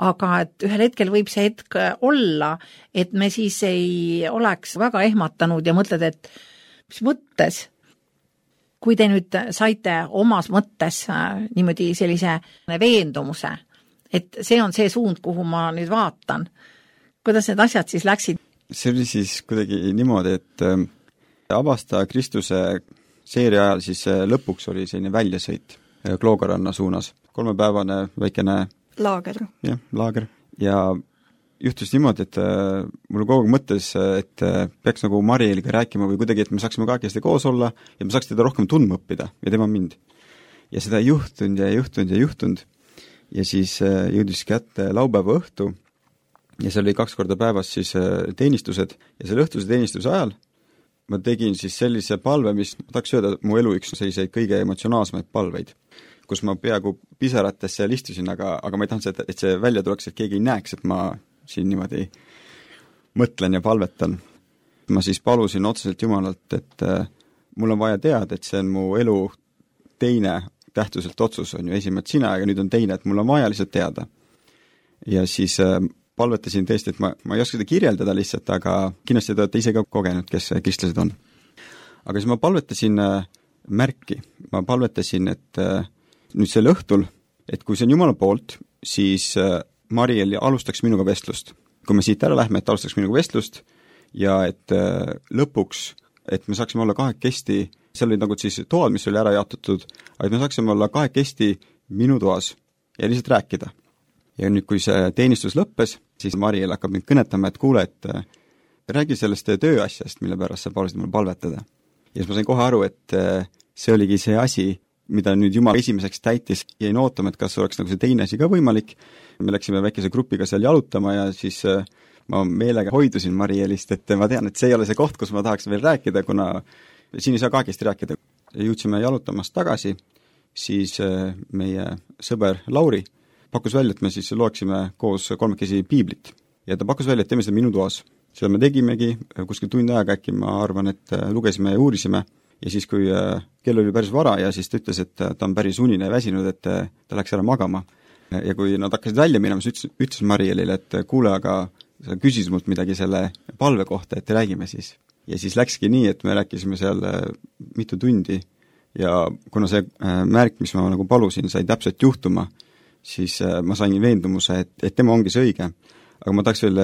aga et ühel hetkel võib see hetk olla, et me siis ei oleks väga ehmatanud ja mõtled, et mis mõttes? Kui te nüüd saite omas mõttes niimoodi sellise veendumuse, et see on see suund, kuhu ma nüüd vaatan, kuidas need asjad siis läksid? See oli siis kuidagi niimoodi, et avasta Kristuse seeria ajal siis lõpuks oli selline väljasõit Kloogaranna suunas. Kolmepäevane väikene laager. Jah, laager. Ja juhtus niimoodi, et mul kogu aeg mõttes, et peaks nagu Marieliga rääkima või kuidagi, et me saaksime kahekesti koos olla ja me saaks teda rohkem tundma õppida ja tema mind. Ja seda ei juhtunud ja ei juhtunud ja ei juhtunud. Ja siis jõudis kätte laupäeva õhtu ja seal oli kaks korda päevas siis teenistused ja selle õhtuse teenistuse ajal ma tegin siis sellise palve, mis ma tahaks öelda, mu elu üks selliseid kõige emotsionaalsemaid palveid, kus ma peaaegu pisarates seal istusin, aga, aga ma ei tahtnud, et see välja tuleks, et keegi ei näeks, et ma siin niimoodi mõtlen ja palvetan. Ma siis palusin otseselt Jumalalt, et äh, mul on vaja teada, et see on mu elu teine tähtsuselt otsus, on ju esimene sina, aga nüüd on teine, et mul on vaja lihtsalt teada. Ja siis äh, palvetasin tõesti, et ma, ma ei oska seda kirjeldada lihtsalt, aga kindlasti te olete ise ka kogenud, kes kristlased on. Aga siis ma palvetasin äh, märki, ma palvetasin, et äh, nüüd sel õhtul, et kui see on Jumala poolt, siis äh, Mariel alustaks minuga vestlust. Kui me siit ära lähme, et alustaks minuga vestlust ja et lõpuks, et me saaksime olla kahekesti, seal olid nagu siis toad, mis oli ära jaotatud, aga et me saaksime olla kahekesti minu toas ja lihtsalt rääkida. Ja nüüd, kui see teenistus lõppes, siis Mariel hakkab mind kõnetama, et kuule, et räägi sellest tööasjast, mille pärast sa palusid mul palvetada. Ja siis ma sain kohe aru, et see oligi see asi, mida nüüd Jumal esimeseks täitis, jäin ootama, et kas oleks nagu see teine asi ka võimalik. Me läksime väikese grupiga seal jalutama ja siis ma meelega hoidusin Marielist, et ma tean, et see ei ole see koht, kus ma tahaks veel rääkida, kuna siin ei saa kahekesti rääkida. Jõudsime jalutamast tagasi, siis meie sõber Lauri pakkus välja, et me siis loeksime koos kolmekesi piiblit. Ja ta pakkus välja, et teeme seda minu toas. Seda me tegimegi, kuskil tund aega äkki ma arvan, et lugesime ja uurisime. Ja siis, kui kell oli päris vara ja siis ta ütles, et ta on päris unine ja väsinud, et ta läks ära magama. Ja kui nad hakkasid välja minema, siis ütles, ütles Marielile, et kuule, aga sa küsis mult midagi selle palve kohta, et räägime siis. Ja siis läkski nii, et me rääkisime seal mitu tundi ja kuna see märk, mis ma nagu palusin, sai täpselt juhtuma, siis ma sain veendumuse, et, et tema ongi see õige. Aga ma tahaks veel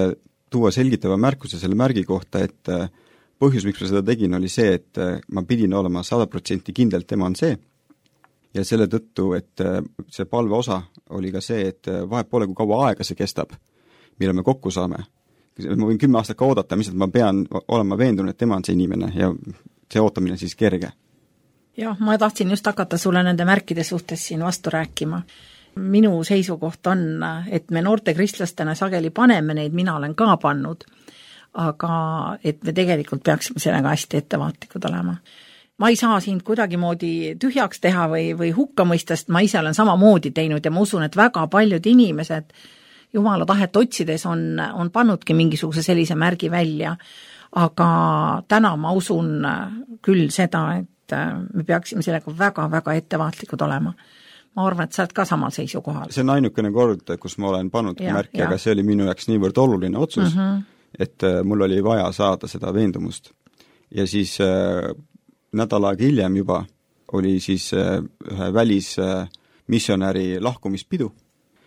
tuua selgitava märkuse selle märgi kohta, et põhjus, miks ma seda tegin, oli see, et ma pidin olema sada protsenti kindel, tema on see. Ja selle tõttu, et see palve osa oli ka see, et vahet pole, kui kaua aega see kestab, mille me kokku saame. Ma võin kümme aastat ka oodata, mis ma pean olema veendunud, et tema on see inimene ja see ootamine siis kerge. Jah, ma tahtsin just hakata sulle nende märkide suhtes siin vastu rääkima. Minu seisukoht on, et me noorte kristlastena sageli paneme neid, mina olen ka pannud, aga et me tegelikult peaksime sellega hästi ettevaatlikud olema. Ma ei saa sind kuidagimoodi tühjaks teha või, või hukka mõistest, ma ise olen samamoodi teinud ja ma usun, et väga paljud inimesed Jumala tahet otsides on, on pannudki mingisuguse sellise märgi välja, aga täna ma usun küll seda, et me peaksime sellega väga-väga ettevaatlikud olema. Ma arvan, et sa oled ka samal seisukohal. See on ainukene kord, kus ma olen pannud ja, märki, ja. Aga see oli minu jaoks niivõrd oluline otsus, mm -hmm. et mul oli vaja saada seda veendumust. Ja siis äh, nädal aega hiljem juba oli siis äh, ühe välis äh, missionäri lahkumispidu,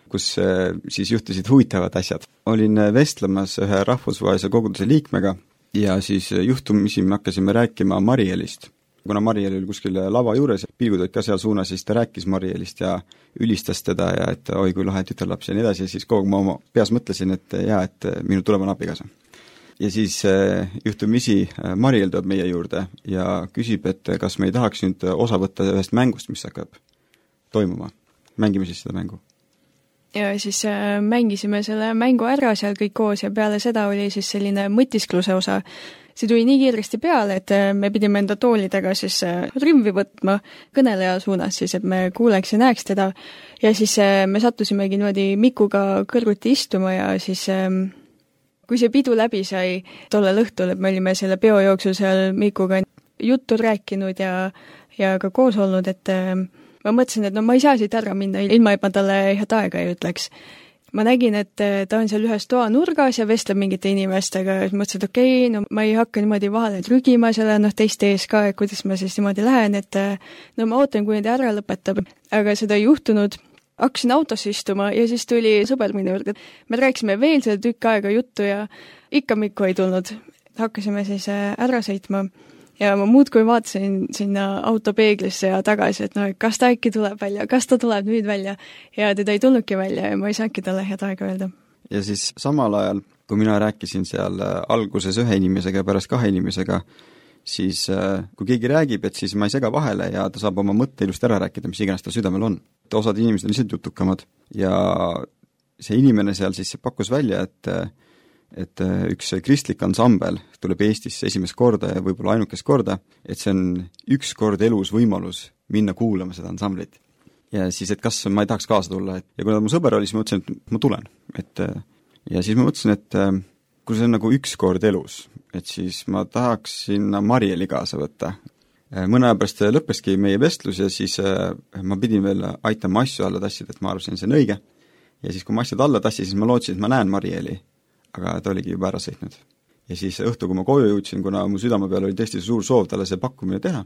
kus äh, siis juhtusid huvitavad asjad. Olin vestlemas ühe rahvusvahelise koguduse liikmega ja siis juhtumisi me hakkasime rääkima Marielist. Kuna Mariel oli kuskil lava juures, pilgud olid ka seal suunas, siis ta rääkis Marielist ja ülistas teda ja et oi kui lahe tütarlaps ja nii edasi, ja siis kogu ma oma peas mõtlesin, et jaa, et minu tulevane abikaasa. Ja siis juhtumisi Mariel tuleb meie juurde ja küsib, et kas me ei tahaks nüüd osa võtta ühest mängust, mis hakkab toimuma. Mängime siis seda mängu. Ja siis mängisime selle mängu ära seal kõik koos ja peale seda oli siis selline mõtiskluse osa. See tuli nii kiiresti peale, et me pidime enda toolidega siis rümvi võtma kõneleja suunas siis, et me kuuleks ja näeks teda. Ja siis me sattusimegi niimoodi Mikuga kõrvuti istuma ja siis kui see pidu läbi sai tollel õhtul, et me olime selle peo jooksul seal Mikuga juttu rääkinud ja, ja ka koos olnud, et ma mõtlesin, et no ma ei saa siit ära minna, ilma et ma talle head aega ei ütleks. Ma nägin, et ta on seal ühes toa nurgas ja vestleb mingite inimestega ja mõtlesin, et okei, okay, no ma ei hakka niimoodi vahele trügima selle noh, teiste ees ka, et kuidas ma siis niimoodi lähen, et no ma ootan, kui need ära lõpetab. Aga seda ei juhtunud. Hakkasin autosse istuma ja siis tuli sõber minu juurde. Me rääkisime veel selle tükk aega juttu ja ikka Mikko ei tulnud. Hakkasime siis ära sõitma. Ja ma muud kui vaatasin sinna autopeeglisse ja tagasi, et no, kas ta äkki tuleb välja, kas ta tuleb nüüd välja ja teda ei tulnudki välja ja ma ei saanudki talle head aega öelda. Ja siis samal ajal, kui mina rääkisin seal alguses ühe inimesega ja pärast kahe inimesega, siis kui keegi räägib, et siis ma ei sega vahele ja ta saab oma mõtte ilust ära rääkida, mis iganes ta südamel on. Osad inimesed on lihtsalt jutukamad ja see inimene seal siis pakkus välja, et et üks kristlik ansambel tuleb Eestisse esimest korda ja võib-olla ainukest korda, et see on üks kord elus võimalus minna kuulama seda ansamblit. Ja siis, et kas ma ei tahaks kaasa tulla, et ja kui mu sõber oli, siis ma mõtlesin, et ma tulen. Et, ja siis ma mõtlesin, et kui see on nagu üks kord elus, et siis ma tahaks sinna Marieli kaasa võtta. Mõne aja pärast lõppeski meie vestlus ja siis ma pidin veel aitama asju alla tassida, et ma arvasin, see on õige. Ja siis, kui ma asjad alla tassi, siis ma lootsin, et ma näen Marieli, aga ta oligi juba ära sõitnud. Ja siis õhtu, kui ma koju jõudsin, kuna mu südame peal oli tõesti suur soov talle see pakkumine teha,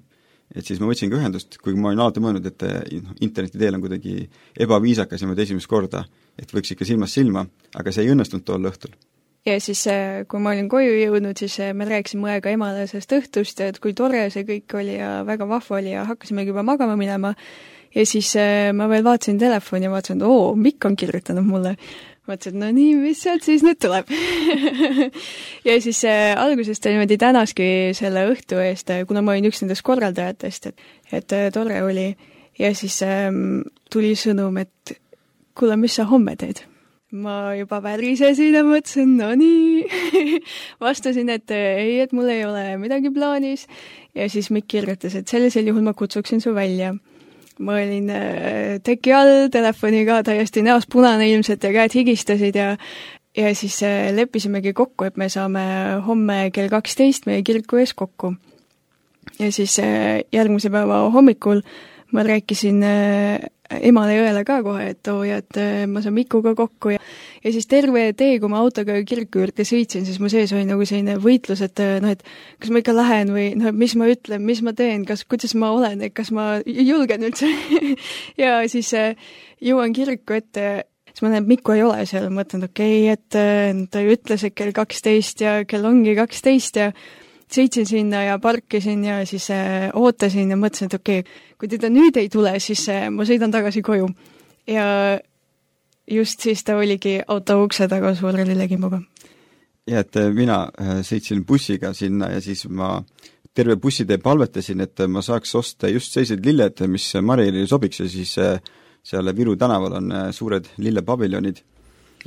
et siis ma võtsin ka ühendust, kui ma olin alati mõelnud, et interneti teel on kuidagi ebaviisakas niimoodi esimest korda, et võiks ikka silmast silma, aga see ei õnnestunud tol õhtul. ja siis, kui ma olin koju jõudnud, siis me rääkisime õega emale sellest õhtust, et kui tore see kõik oli ja väga vahva oli ja hakkasimegi juba magama minema. Ja siis ma veel vaatasin telefoni ja vaatasin, et oo, Mikk on kirjutanud mulle. Mõtlesin, et no nii, mis sealt siis nüüd tuleb? ja siis äh, alguses ta niimoodi tänaski selle õhtu eest, kuna ma olin üks nendest korraldajatest, et, et äh, tore oli. Ja siis äh, tuli sõnum, et kuule, mis sa homme teed? Ma juba värisesin ja mõtlesin, no nii. Vastasin, et ei, et mul ei ole midagi plaanis. Ja siis Mikk kirjutas, et sellisel juhul ma kutsuksin su välja. Ma olin teki all telefoniga täiesti näost punane ilmselt ja käed higistasid ja, ja siis leppisimegi kokku, et me saame homme kell kaksteist meie kiriku ees kokku. Ja siis järgmise päeva hommikul ma rääkisin emale ja õele ka kohe, et oo ja et ma saan Mikuga kokku ja, ja siis terve tee, kui ma autoga kiriku juurde sõitsin, siis mu sees oli nagu selline võitlus, et noh, et kas ma ikka lähen või noh, mis ma ütlen, mis ma teen, kas, kuidas ma olen, et kas ma julgen üldse ja siis jõuan kiriku ette, siis ma näen, et Miku ei ole seal, mõtlen, et okei, okay, et ta ütles, et kell kaksteist ja kell ongi kaksteist ja sõitsin sinna ja parkisin ja siis äh, ootasin ja mõtlesin, et okei, okay, kui teda nüüd ei tule, siis äh, ma sõidan tagasi koju. Ja just siis ta oligi auto ukse taga suure lillekimbuga. Ja, et mina äh, sõitsin bussiga sinna ja siis ma terve bussitee palvetasin, et ma saaks osta just sellised lilled, mis Marilile sobiks ja siis äh, seal Viru tänaval on äh, suured lillepaviljonid.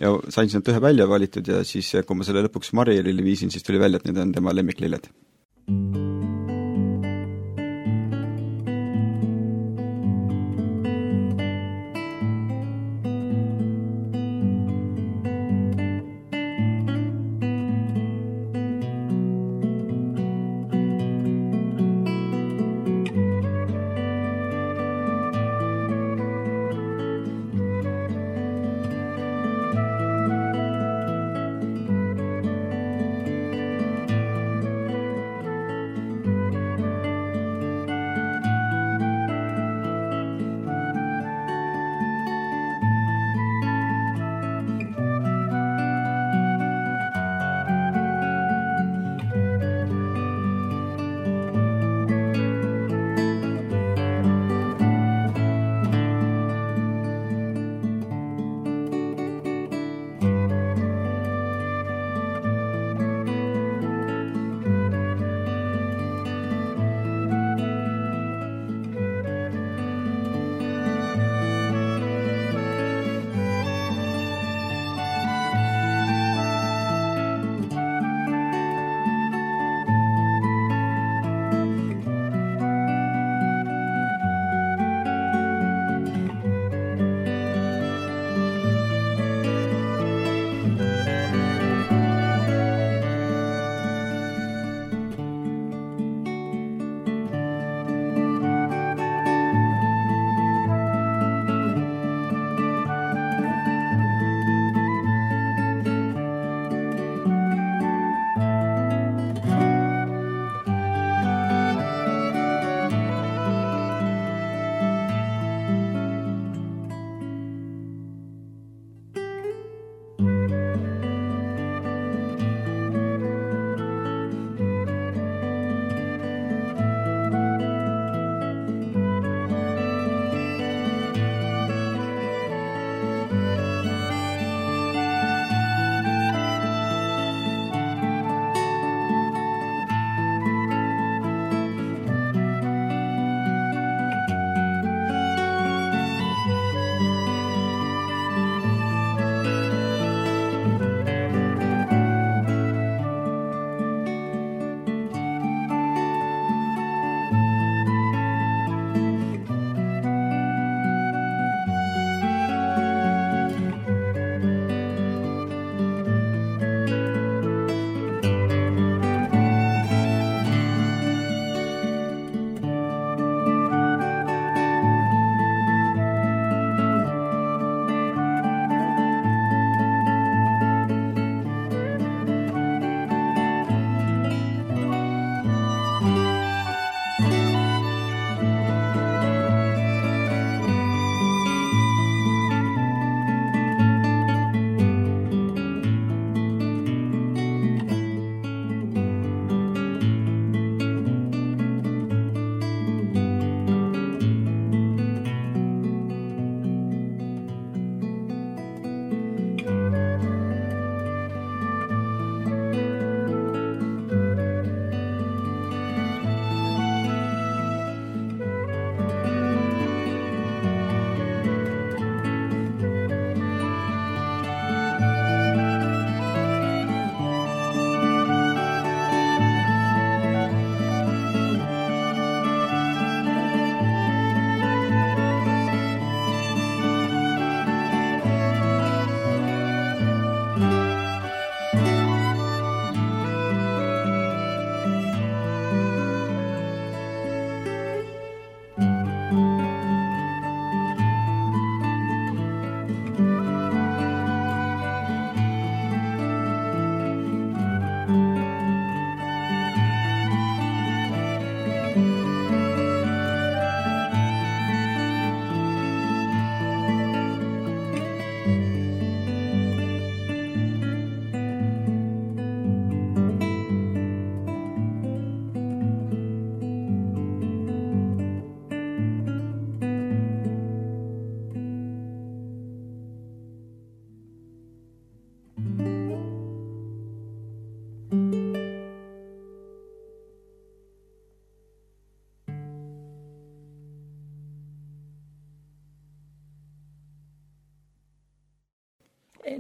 Ja sain sealt ühe välja valitud ja siis, kui ma selle lõpuks Marilile viisin, siis tuli välja, et need on tema lemmiklilled.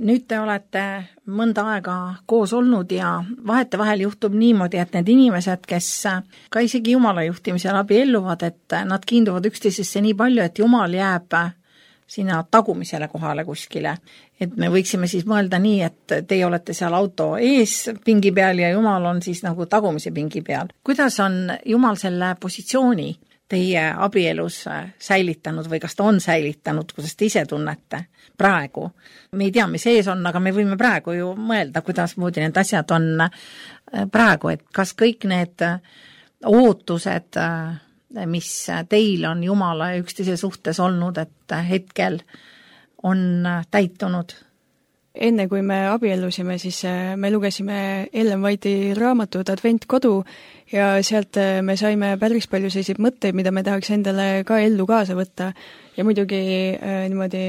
nüüd te olete mõnda aega koos olnud ja vahetevahel juhtub niimoodi, et need inimesed, kes ka isegi Jumala juhtimisel abielluvad, et nad kiinduvad üksteisesse nii palju, et Jumal jääb sinna tagumisele kohale kuskile. Et me võiksime siis mõelda nii, et teie olete seal auto ees pingi peal ja Jumal on siis nagu tagumise pingi peal. Kuidas on Jumal selle positsiooni teie abielus säilitanud või kas ta on säilitanud, kuidas te ise tunnete praegu? Me ei tea, mis ees on, aga me võime praegu ju mõelda, kuidas moodi need asjad on praegu, et kas kõik need ootused, mis teil on Jumala ja üksteise suhtes olnud, et hetkel on täitunud? Enne kui me abiellusime, siis me lugesime Ellen White'i raamatut Advent kodu ja sealt me saime päris palju selliseid mõtteid, mida me tahaks endale ka ellu kaasa võtta. Ja muidugi äh, niimoodi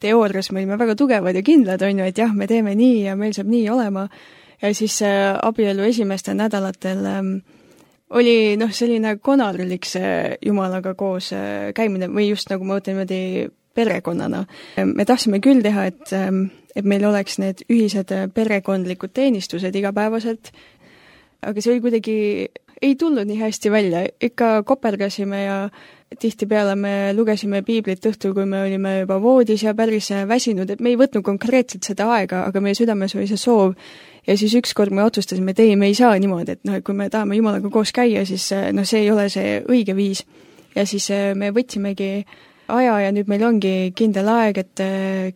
teoorias me olime väga tugevad ja kindlad, on ju, et jah, me teeme nii ja meil saab nii olema. Ja siis äh, abielu esimestel nädalatel äh, oli noh, selline konarlik see Jumalaga koos äh, käimine või just nagu ma mõtlen niimoodi perekonnana. Me tahtsime küll teha, et et meil oleks need ühised perekondlikud teenistused igapäevaselt, aga see oli kuidagi, ei tulnud nii hästi välja, ikka kopergasime ja tihtipeale me lugesime piiblit õhtul, kui me olime juba voodis ja päris väsinud, et me ei võtnud konkreetselt seda aega, aga meie südames oli see soov. Ja siis ükskord me otsustasime, et ei, me ei saa niimoodi, et noh, kui me tahame Jumalaga koos käia, siis noh, see ei ole see õige viis. Ja siis me võtsimegi aja ja nüüd meil ongi kindel aeg, et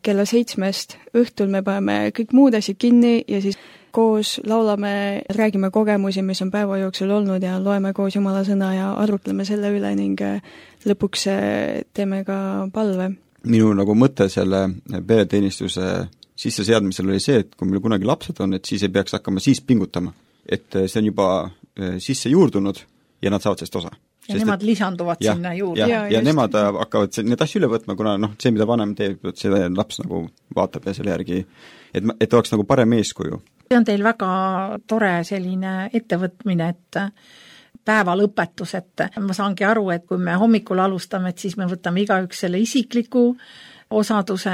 kella seitsmest õhtul me paneme kõik muud asjad kinni ja siis koos laulame, räägime kogemusi, mis on päeva jooksul olnud ja loeme koos Jumala sõna ja arutleme selle üle ning lõpuks teeme ka palve. Minu nagu mõte selle pereteenistuse sisseseadmisel oli see, et kui meil kunagi lapsed on, et siis ei peaks hakkama siis pingutama. Et see on juba sisse juurdunud ja nad saavad sellest osa. Ja sest nemad et, lisanduvad ja, sinna juurde. Ja, ja, ja nemad hakkavad need asju üle võtma, kuna noh, see, mida vanem teeb, seda laps nagu vaatab ja selle järgi, et, et oleks nagu parem eeskuju. See on teil väga tore selline ettevõtmine, et päeva lõpetus, et ma saangi aru, et kui me hommikul alustame, et siis me võtame igaüks selle isikliku osaduse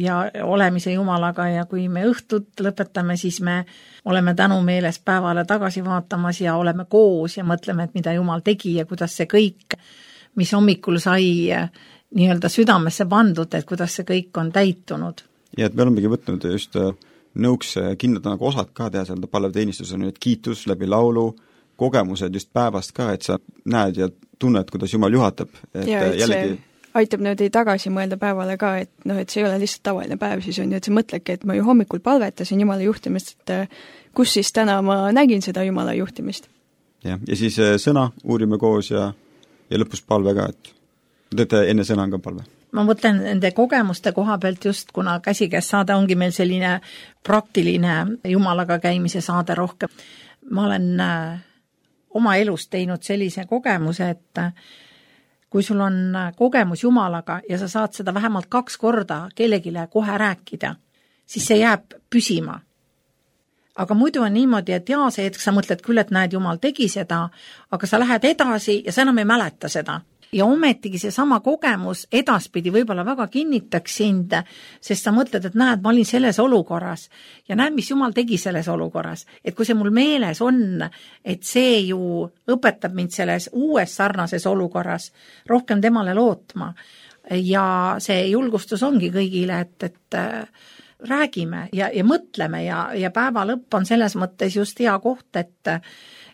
ja olemise Jumalaga ja kui me õhtut lõpetame, siis me oleme tänumeeles päevale tagasi vaatamas ja oleme koos ja mõtleme, et mida Jumal tegi ja kuidas see kõik, mis hommikul sai nii-öelda südamesse pandud, et kuidas see kõik on täitunud. Ja et me olemegi võtnud just nõuks kindlad nagu osad ka teha seal palveteenistus on, et kiitus läbi laulu, kogemused just päevast ka, et sa näed ja tunned, kuidas Jumal juhatab. Et ja, et jällegi see aitab nüüd tagasi mõelda päevale ka, et noh, et see ei ole lihtsalt tavaline päev, siis on ju, et sa mõtledki, et ma ju hommikul palvetasin Jumala juhtimist, et kus siis täna ma nägin seda Jumala juhtimist. Ja, ja siis sõna uurime koos ja, ja lõpus palve ka, et teete enne sõna on ka palve. Ma mõtlen nende kogemuste koha pealt just, kuna käsikäes saade ongi meil selline praktiline Jumalaga käimise saade rohkem. Ma olen oma elus teinud sellise kogemuse, et kui sul on kogemus Jumalaga ja sa saad seda vähemalt kaks korda kellegile kohe rääkida, siis see jääb püsima. Aga muidu on niimoodi, et jaa, see hetk sa mõtled küll, et näed, Jumal tegi seda, aga sa lähed edasi ja sa enam ei mäleta seda. Ja ometigi see sama kogemus edaspidi võib-olla väga kinnitaks sind, sest sa mõtled, et näed, ma olin selles olukorras ja näed, mis Jumal tegi selles olukorras. Et kui see mul meeles on, et see ju õpetab mind selles uues sarnases olukorras rohkem temale lootma ja see julgustus ongi kõigile, et, et räägime ja, ja mõtleme ja, ja päeva lõpp on selles mõttes just hea koht, et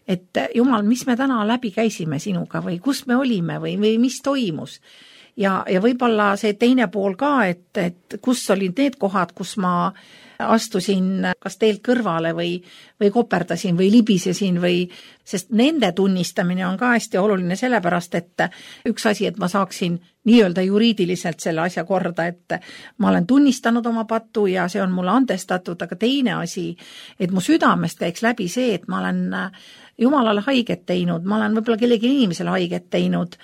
et Jumal, mis me täna läbi käisime sinuga või kus me olime või, või mis toimus. Ja, ja võib-olla see teine pool ka, et, et kus olid need kohad, kus ma astusin kas teelt kõrvale või, või koperdasin või libisesin või, sest nende tunnistamine on ka hästi oluline sellepärast, et üks asi, et ma saaksin nii-öelda juriidiliselt selle asja korda, et ma olen tunnistanud oma pattu ja see on mulle andestatud, aga teine asi, et mu südamest käiks läbi see, et ma olen Jumalale haiget teinud, ma olen võib-olla kellegi inimesele haiget teinud,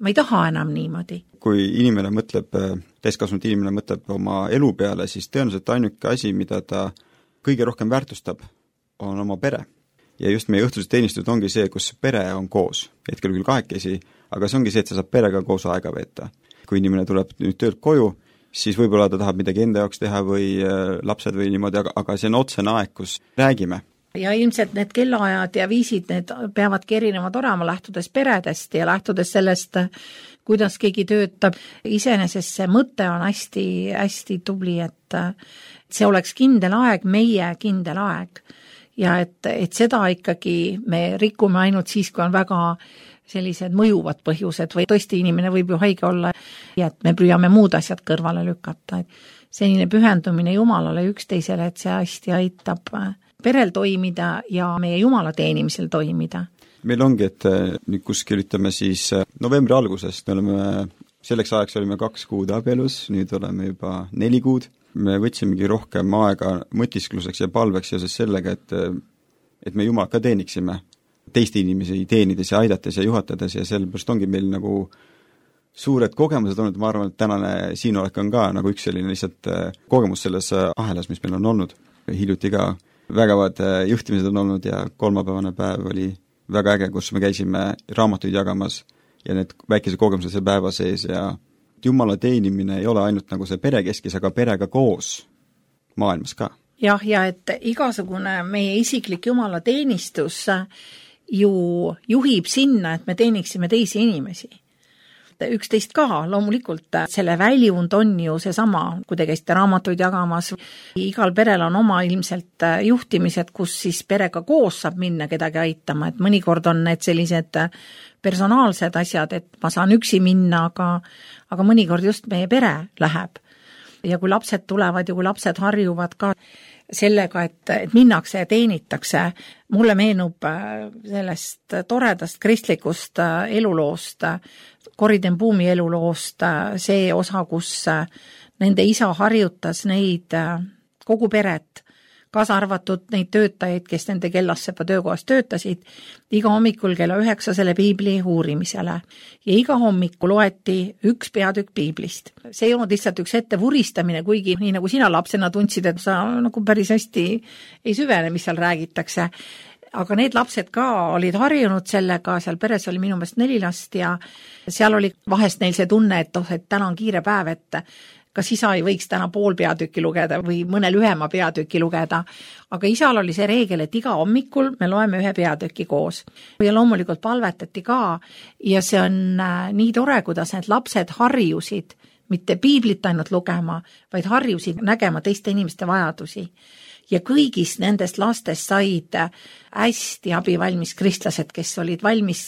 ma ei taha enam niimoodi. Kui inimene mõtleb, täiskasvanud inimene mõtleb oma elu peale, siis tõenäoliselt ainuke asi, mida ta kõige rohkem väärtustab, on oma pere. Ja just meie õhtused teenistused ongi see, kus pere on koos, hetkel küll kahekesi, aga see ongi see, et sa saad perega koos aega veeta. Kui inimene tuleb nüüd töölt koju siis võib-olla ta tahab midagi enda jaoks teha või lapsed või niimoodi, aga, aga see on otsene aeg, kus räägime. Ja ilmselt need kellaajad ja viisid, need peavadki erinevad olema, lähtudes peredest ja lähtudes sellest, kuidas keegi töötab. Iseenesest see mõte on hästi, hästi tubli, et see oleks kindel aeg, meie kindel aeg. Ja et, et seda ikkagi me rikume ainult siis, kui on väga sellised mõjuvad põhjused või tõesti inimene võib ju haige olla ja et me püüame muud asjad kõrvale lükata. Et selline pühendumine Jumalale üksteisele, et see hästi aitab perel toimida ja meie Jumala teenimisel toimida. Meil ongi, et nüüd kuskil ütleme siis novembri algusest, me oleme, selleks ajaks olime kaks kuud abielus, nüüd oleme juba neli kuud. Me võtsimegi rohkem aega mõtiskluseks ja palveks seoses sellega, et, et me Jumalat ka teeniksime teiste inimesi teenides ja aidates ja juhatades ja sellepärast ongi meil nagu suured kogemused olnud, ma arvan, et tänane siinolek on ka nagu üks selline lihtsalt kogemus selles ahelas, mis meil on olnud. Hiljuti ka vägevad juhtimised on olnud ja kolmapäevane päev oli väga äge, kus me käisime raamatuid jagamas ja need väikese kogemused see päeva sees ja Jumala teenimine ei ole ainult nagu see perekeskis, aga perega koos maailmas ka. Jah, ja et igasugune meie isiklik Jumala teenistus ju juhib sinna, et me teeniksime teisi inimesi. Üksteist ka, loomulikult selle väljund on ju seesama, kui te käisite raamatuid jagamas. Igal perel on oma ilmselt juhtimised, kus siis perega koos saab minna kedagi aitama, et mõnikord on need sellised personaalsed asjad, et ma saan üksi minna, aga, aga mõnikord just meie pere läheb. Ja kui lapsed tulevad ja kui lapsed harjuvad ka sellega, et, et minnakse ja teenitakse, mulle meenub sellest toredast kristlikust eluloost, Corrie ten Boom'i eluloost, see osa, kus nende isa harjutas neid kogu peret, kaasa arvatud neid töötajaid, kes nende Kellassepa töökohas töötasid, iga hommikul kella üheksa selle piibli uurimisele. Ja iga hommikul loeti üks peatükk piiblist. See ei olnud lihtsalt üks ette vuristamine, kuigi nii nagu sina lapsena tundsid, et sa nagu päris hästi ei süvene, mis seal räägitakse. Aga need lapsed ka olid harjunud sellega, seal peres oli minu meelest neli last ja seal oli vahest neil see tunne, et, oh, et täna on kiire päev, et kas isa ei võiks täna pool peatükki lugeda või mõne lühema peatükki lugeda. Aga isal oli see reegel, et iga hommikul me loeme ühe peatükki koos. Ja loomulikult palvetati ka ja see on nii tore, kuidas need lapsed harjusid mitte piiblit ainult lugema, vaid harjusid nägema teiste inimeste vajadusi. Ja kõigist nendest lastest said hästi abivalmis kristlased, kes olid valmis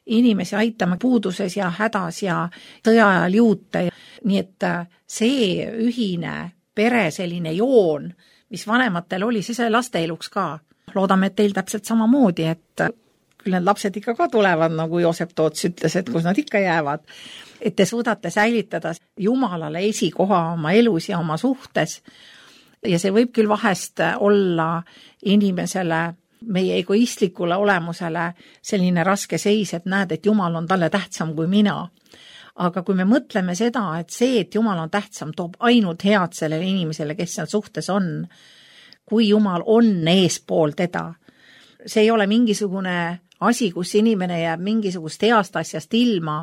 inimesi aitama puuduses ja hädas ja sõjaajal juute. Nii et see ühine pere selline joon, mis vanematel oli, see sai laste eluks ka. Loodame, et teil täpselt samamoodi, et küll need lapsed ikka ka tulevad, nagu Joosep Toots ütles, et kus nad ikka jäävad. Et te suudate säilitada Jumalale esikoha oma elus ja oma suhtes. Ja see võib küll vahest olla inimesele, meie egoistlikule olemusele selline raske seis, et näed, et Jumal on talle tähtsam kui mina. Aga kui me mõtleme seda, et see, et Jumal on tähtsam, toob ainult head sellele inimesele, kes seal suhtes on, kui Jumal on eespool teda. See ei ole mingisugune asi, kus inimene jääb mingisugust heast asjast ilma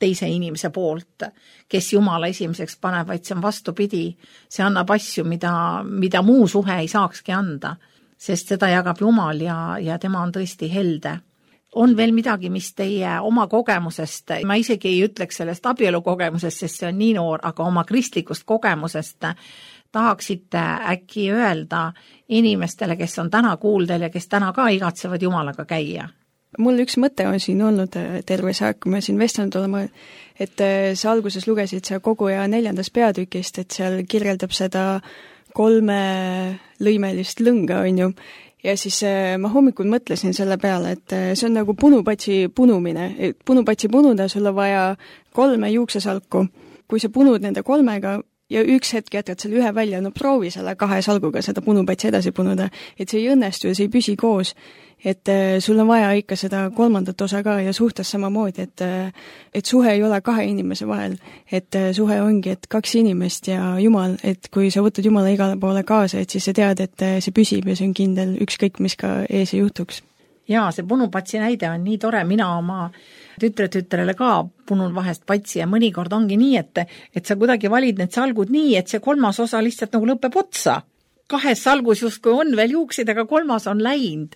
teise inimese poolt, kes Jumala esimeseks paneb, vaid see on vastupidi. See annab asju, mida, mida muu suhe ei saakski anda, sest seda jagab Jumal ja, ja tema on tõesti helde. On veel midagi, mis teie oma kogemusest, ma isegi ei ütleks sellest abielu kogemusest, sest see on nii noor, aga oma kristlikust kogemusest tahaksite äkki öelda inimestele, kes on täna kuuldel ja kes täna ka igatsevad Jumalaga käia? Mul üks mõte on siin olnud terve see, kui me siin vestanud olema, et sa alguses lugesid sa kogu ja neljandas peatükist, et seal kirjeldab seda kolme lõimelist lõnga, on ju. Ja siis ma hommikul mõtlesin selle peale, et see on nagu punupatsi punumine. Punupatsi punuda sul on vaja kolme juuksesalku. Kui sa punud nende kolmega ja üks hetk jätad selle ühe välja, no proovi selle kahe salguga seda punupatsi edasi punuda, et see ei õnnestu ja see ei püsi koos. Et sul on vaja ikka seda kolmandat osa ka ja suhtes samamoodi, et, et suhe ei ole kahe inimese vahel, et suhe ongi, et kaks inimest ja Jumal, et kui sa võtad Jumala igale poole kaasa, et siis sa tead, et see püsib ja see on kindel ükskõik, mis ka ees ei juhtuks. Jaa, see punupatsi näide on nii tore, mina oma tütre-tütrele ka punun vahest patsi ja mõnikord ongi nii, et, et sa kuidagi valid need salgud nii, et see kolmas osa lihtsalt nagu lõpeb otsa. Kahes salgus justkui on veel juuksid, aga kolmas on läinud.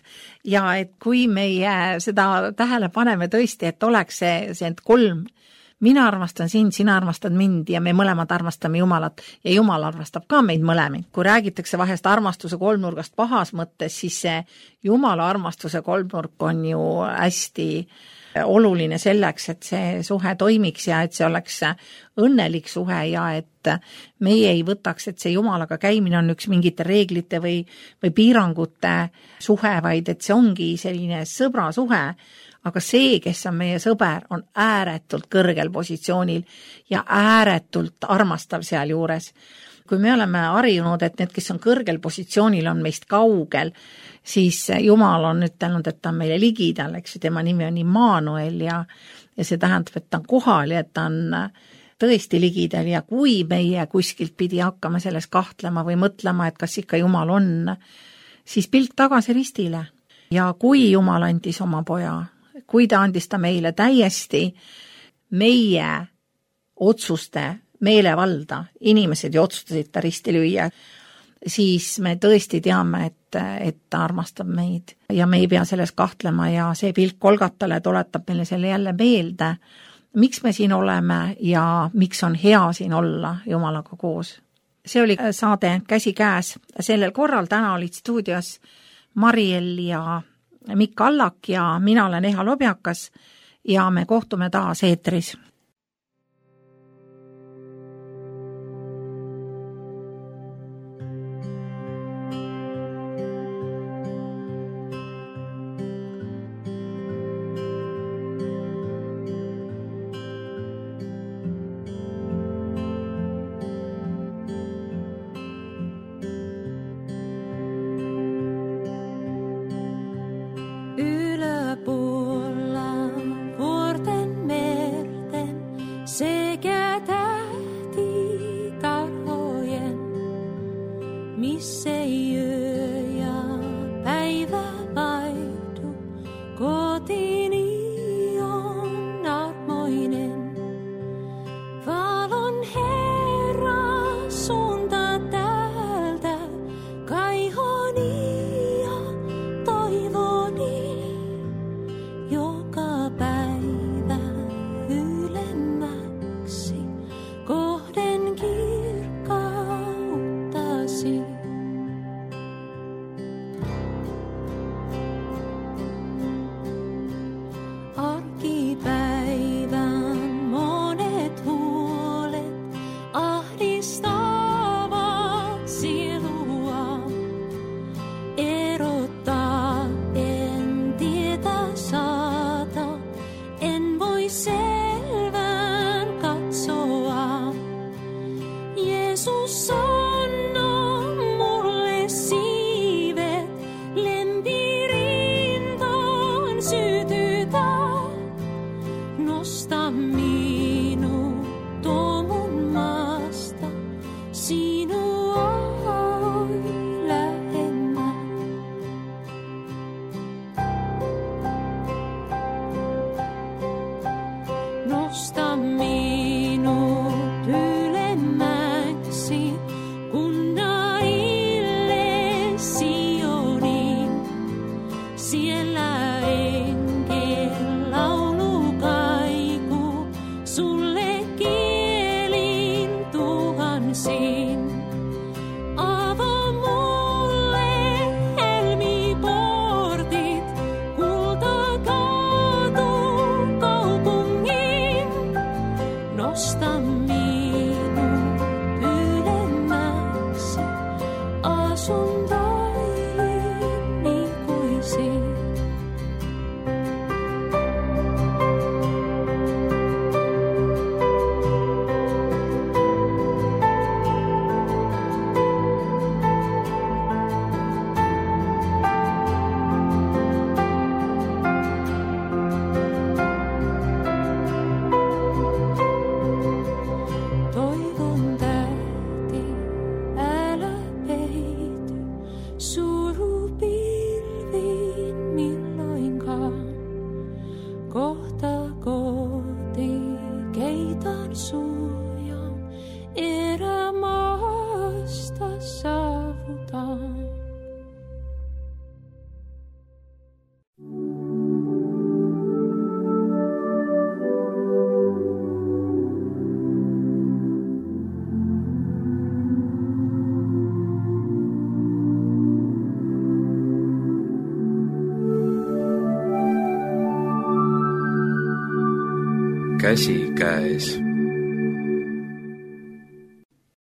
Ja et kui meie seda tähele paneme tõesti, et oleks see, see kolm, mina armastan sind, sina armastad mind ja me mõlemad armastame Jumalat ja Jumal armastab ka meid mõlemid. Kui räägitakse vahest armastuse kolmnurgast pahas mõttes, siis see Jumala armastuse kolmnurk on ju hästi oluline selleks, et see suhe toimiks ja et see oleks õnnelik suhe ja et meie ei võtaks, et see Jumalaga käimine on üks mingite reeglite või, või piirangute suhe, vaid et see ongi selline sõbra suhe, aga see, kes on meie sõber, on ääretult kõrgel positsioonil ja ääretult armastav seal juures. Kui me oleme harjunud, et need, kes on kõrgel positsioonil, on meist kaugel, siis Jumal on ütelnud, et ta on meile ligidal, eks ju, tema nimi on Immanuel ja, ja see tähendab, et ta on kohal ja et ta on tõesti ligidal ja kui meie kuskilt pidi hakkama selles kahtlema või mõtlema, et kas ikka Jumal on, siis pilk tagasi ristile. Ja kui Jumal andis oma poja, kui ta andis ta meile täiesti meie otsuste meelevalda, inimesed ju otsustasid ta risti lüüa, siis me tõesti teame, et, et ta armastab meid ja me ei pea selles kahtlema ja see pilk Kolgatale tuletab meile selle jälle meelde, miks me siin oleme ja miks on hea siin olla Jumalaga koos. See oli saade Käsi käes. Sellel korral täna olid stuudios Mariel ja Mikk Allak ja mina olen Eha Lobjakas ja me kohtume taas eetris. Sun taivin ikuisiin. käsi käes.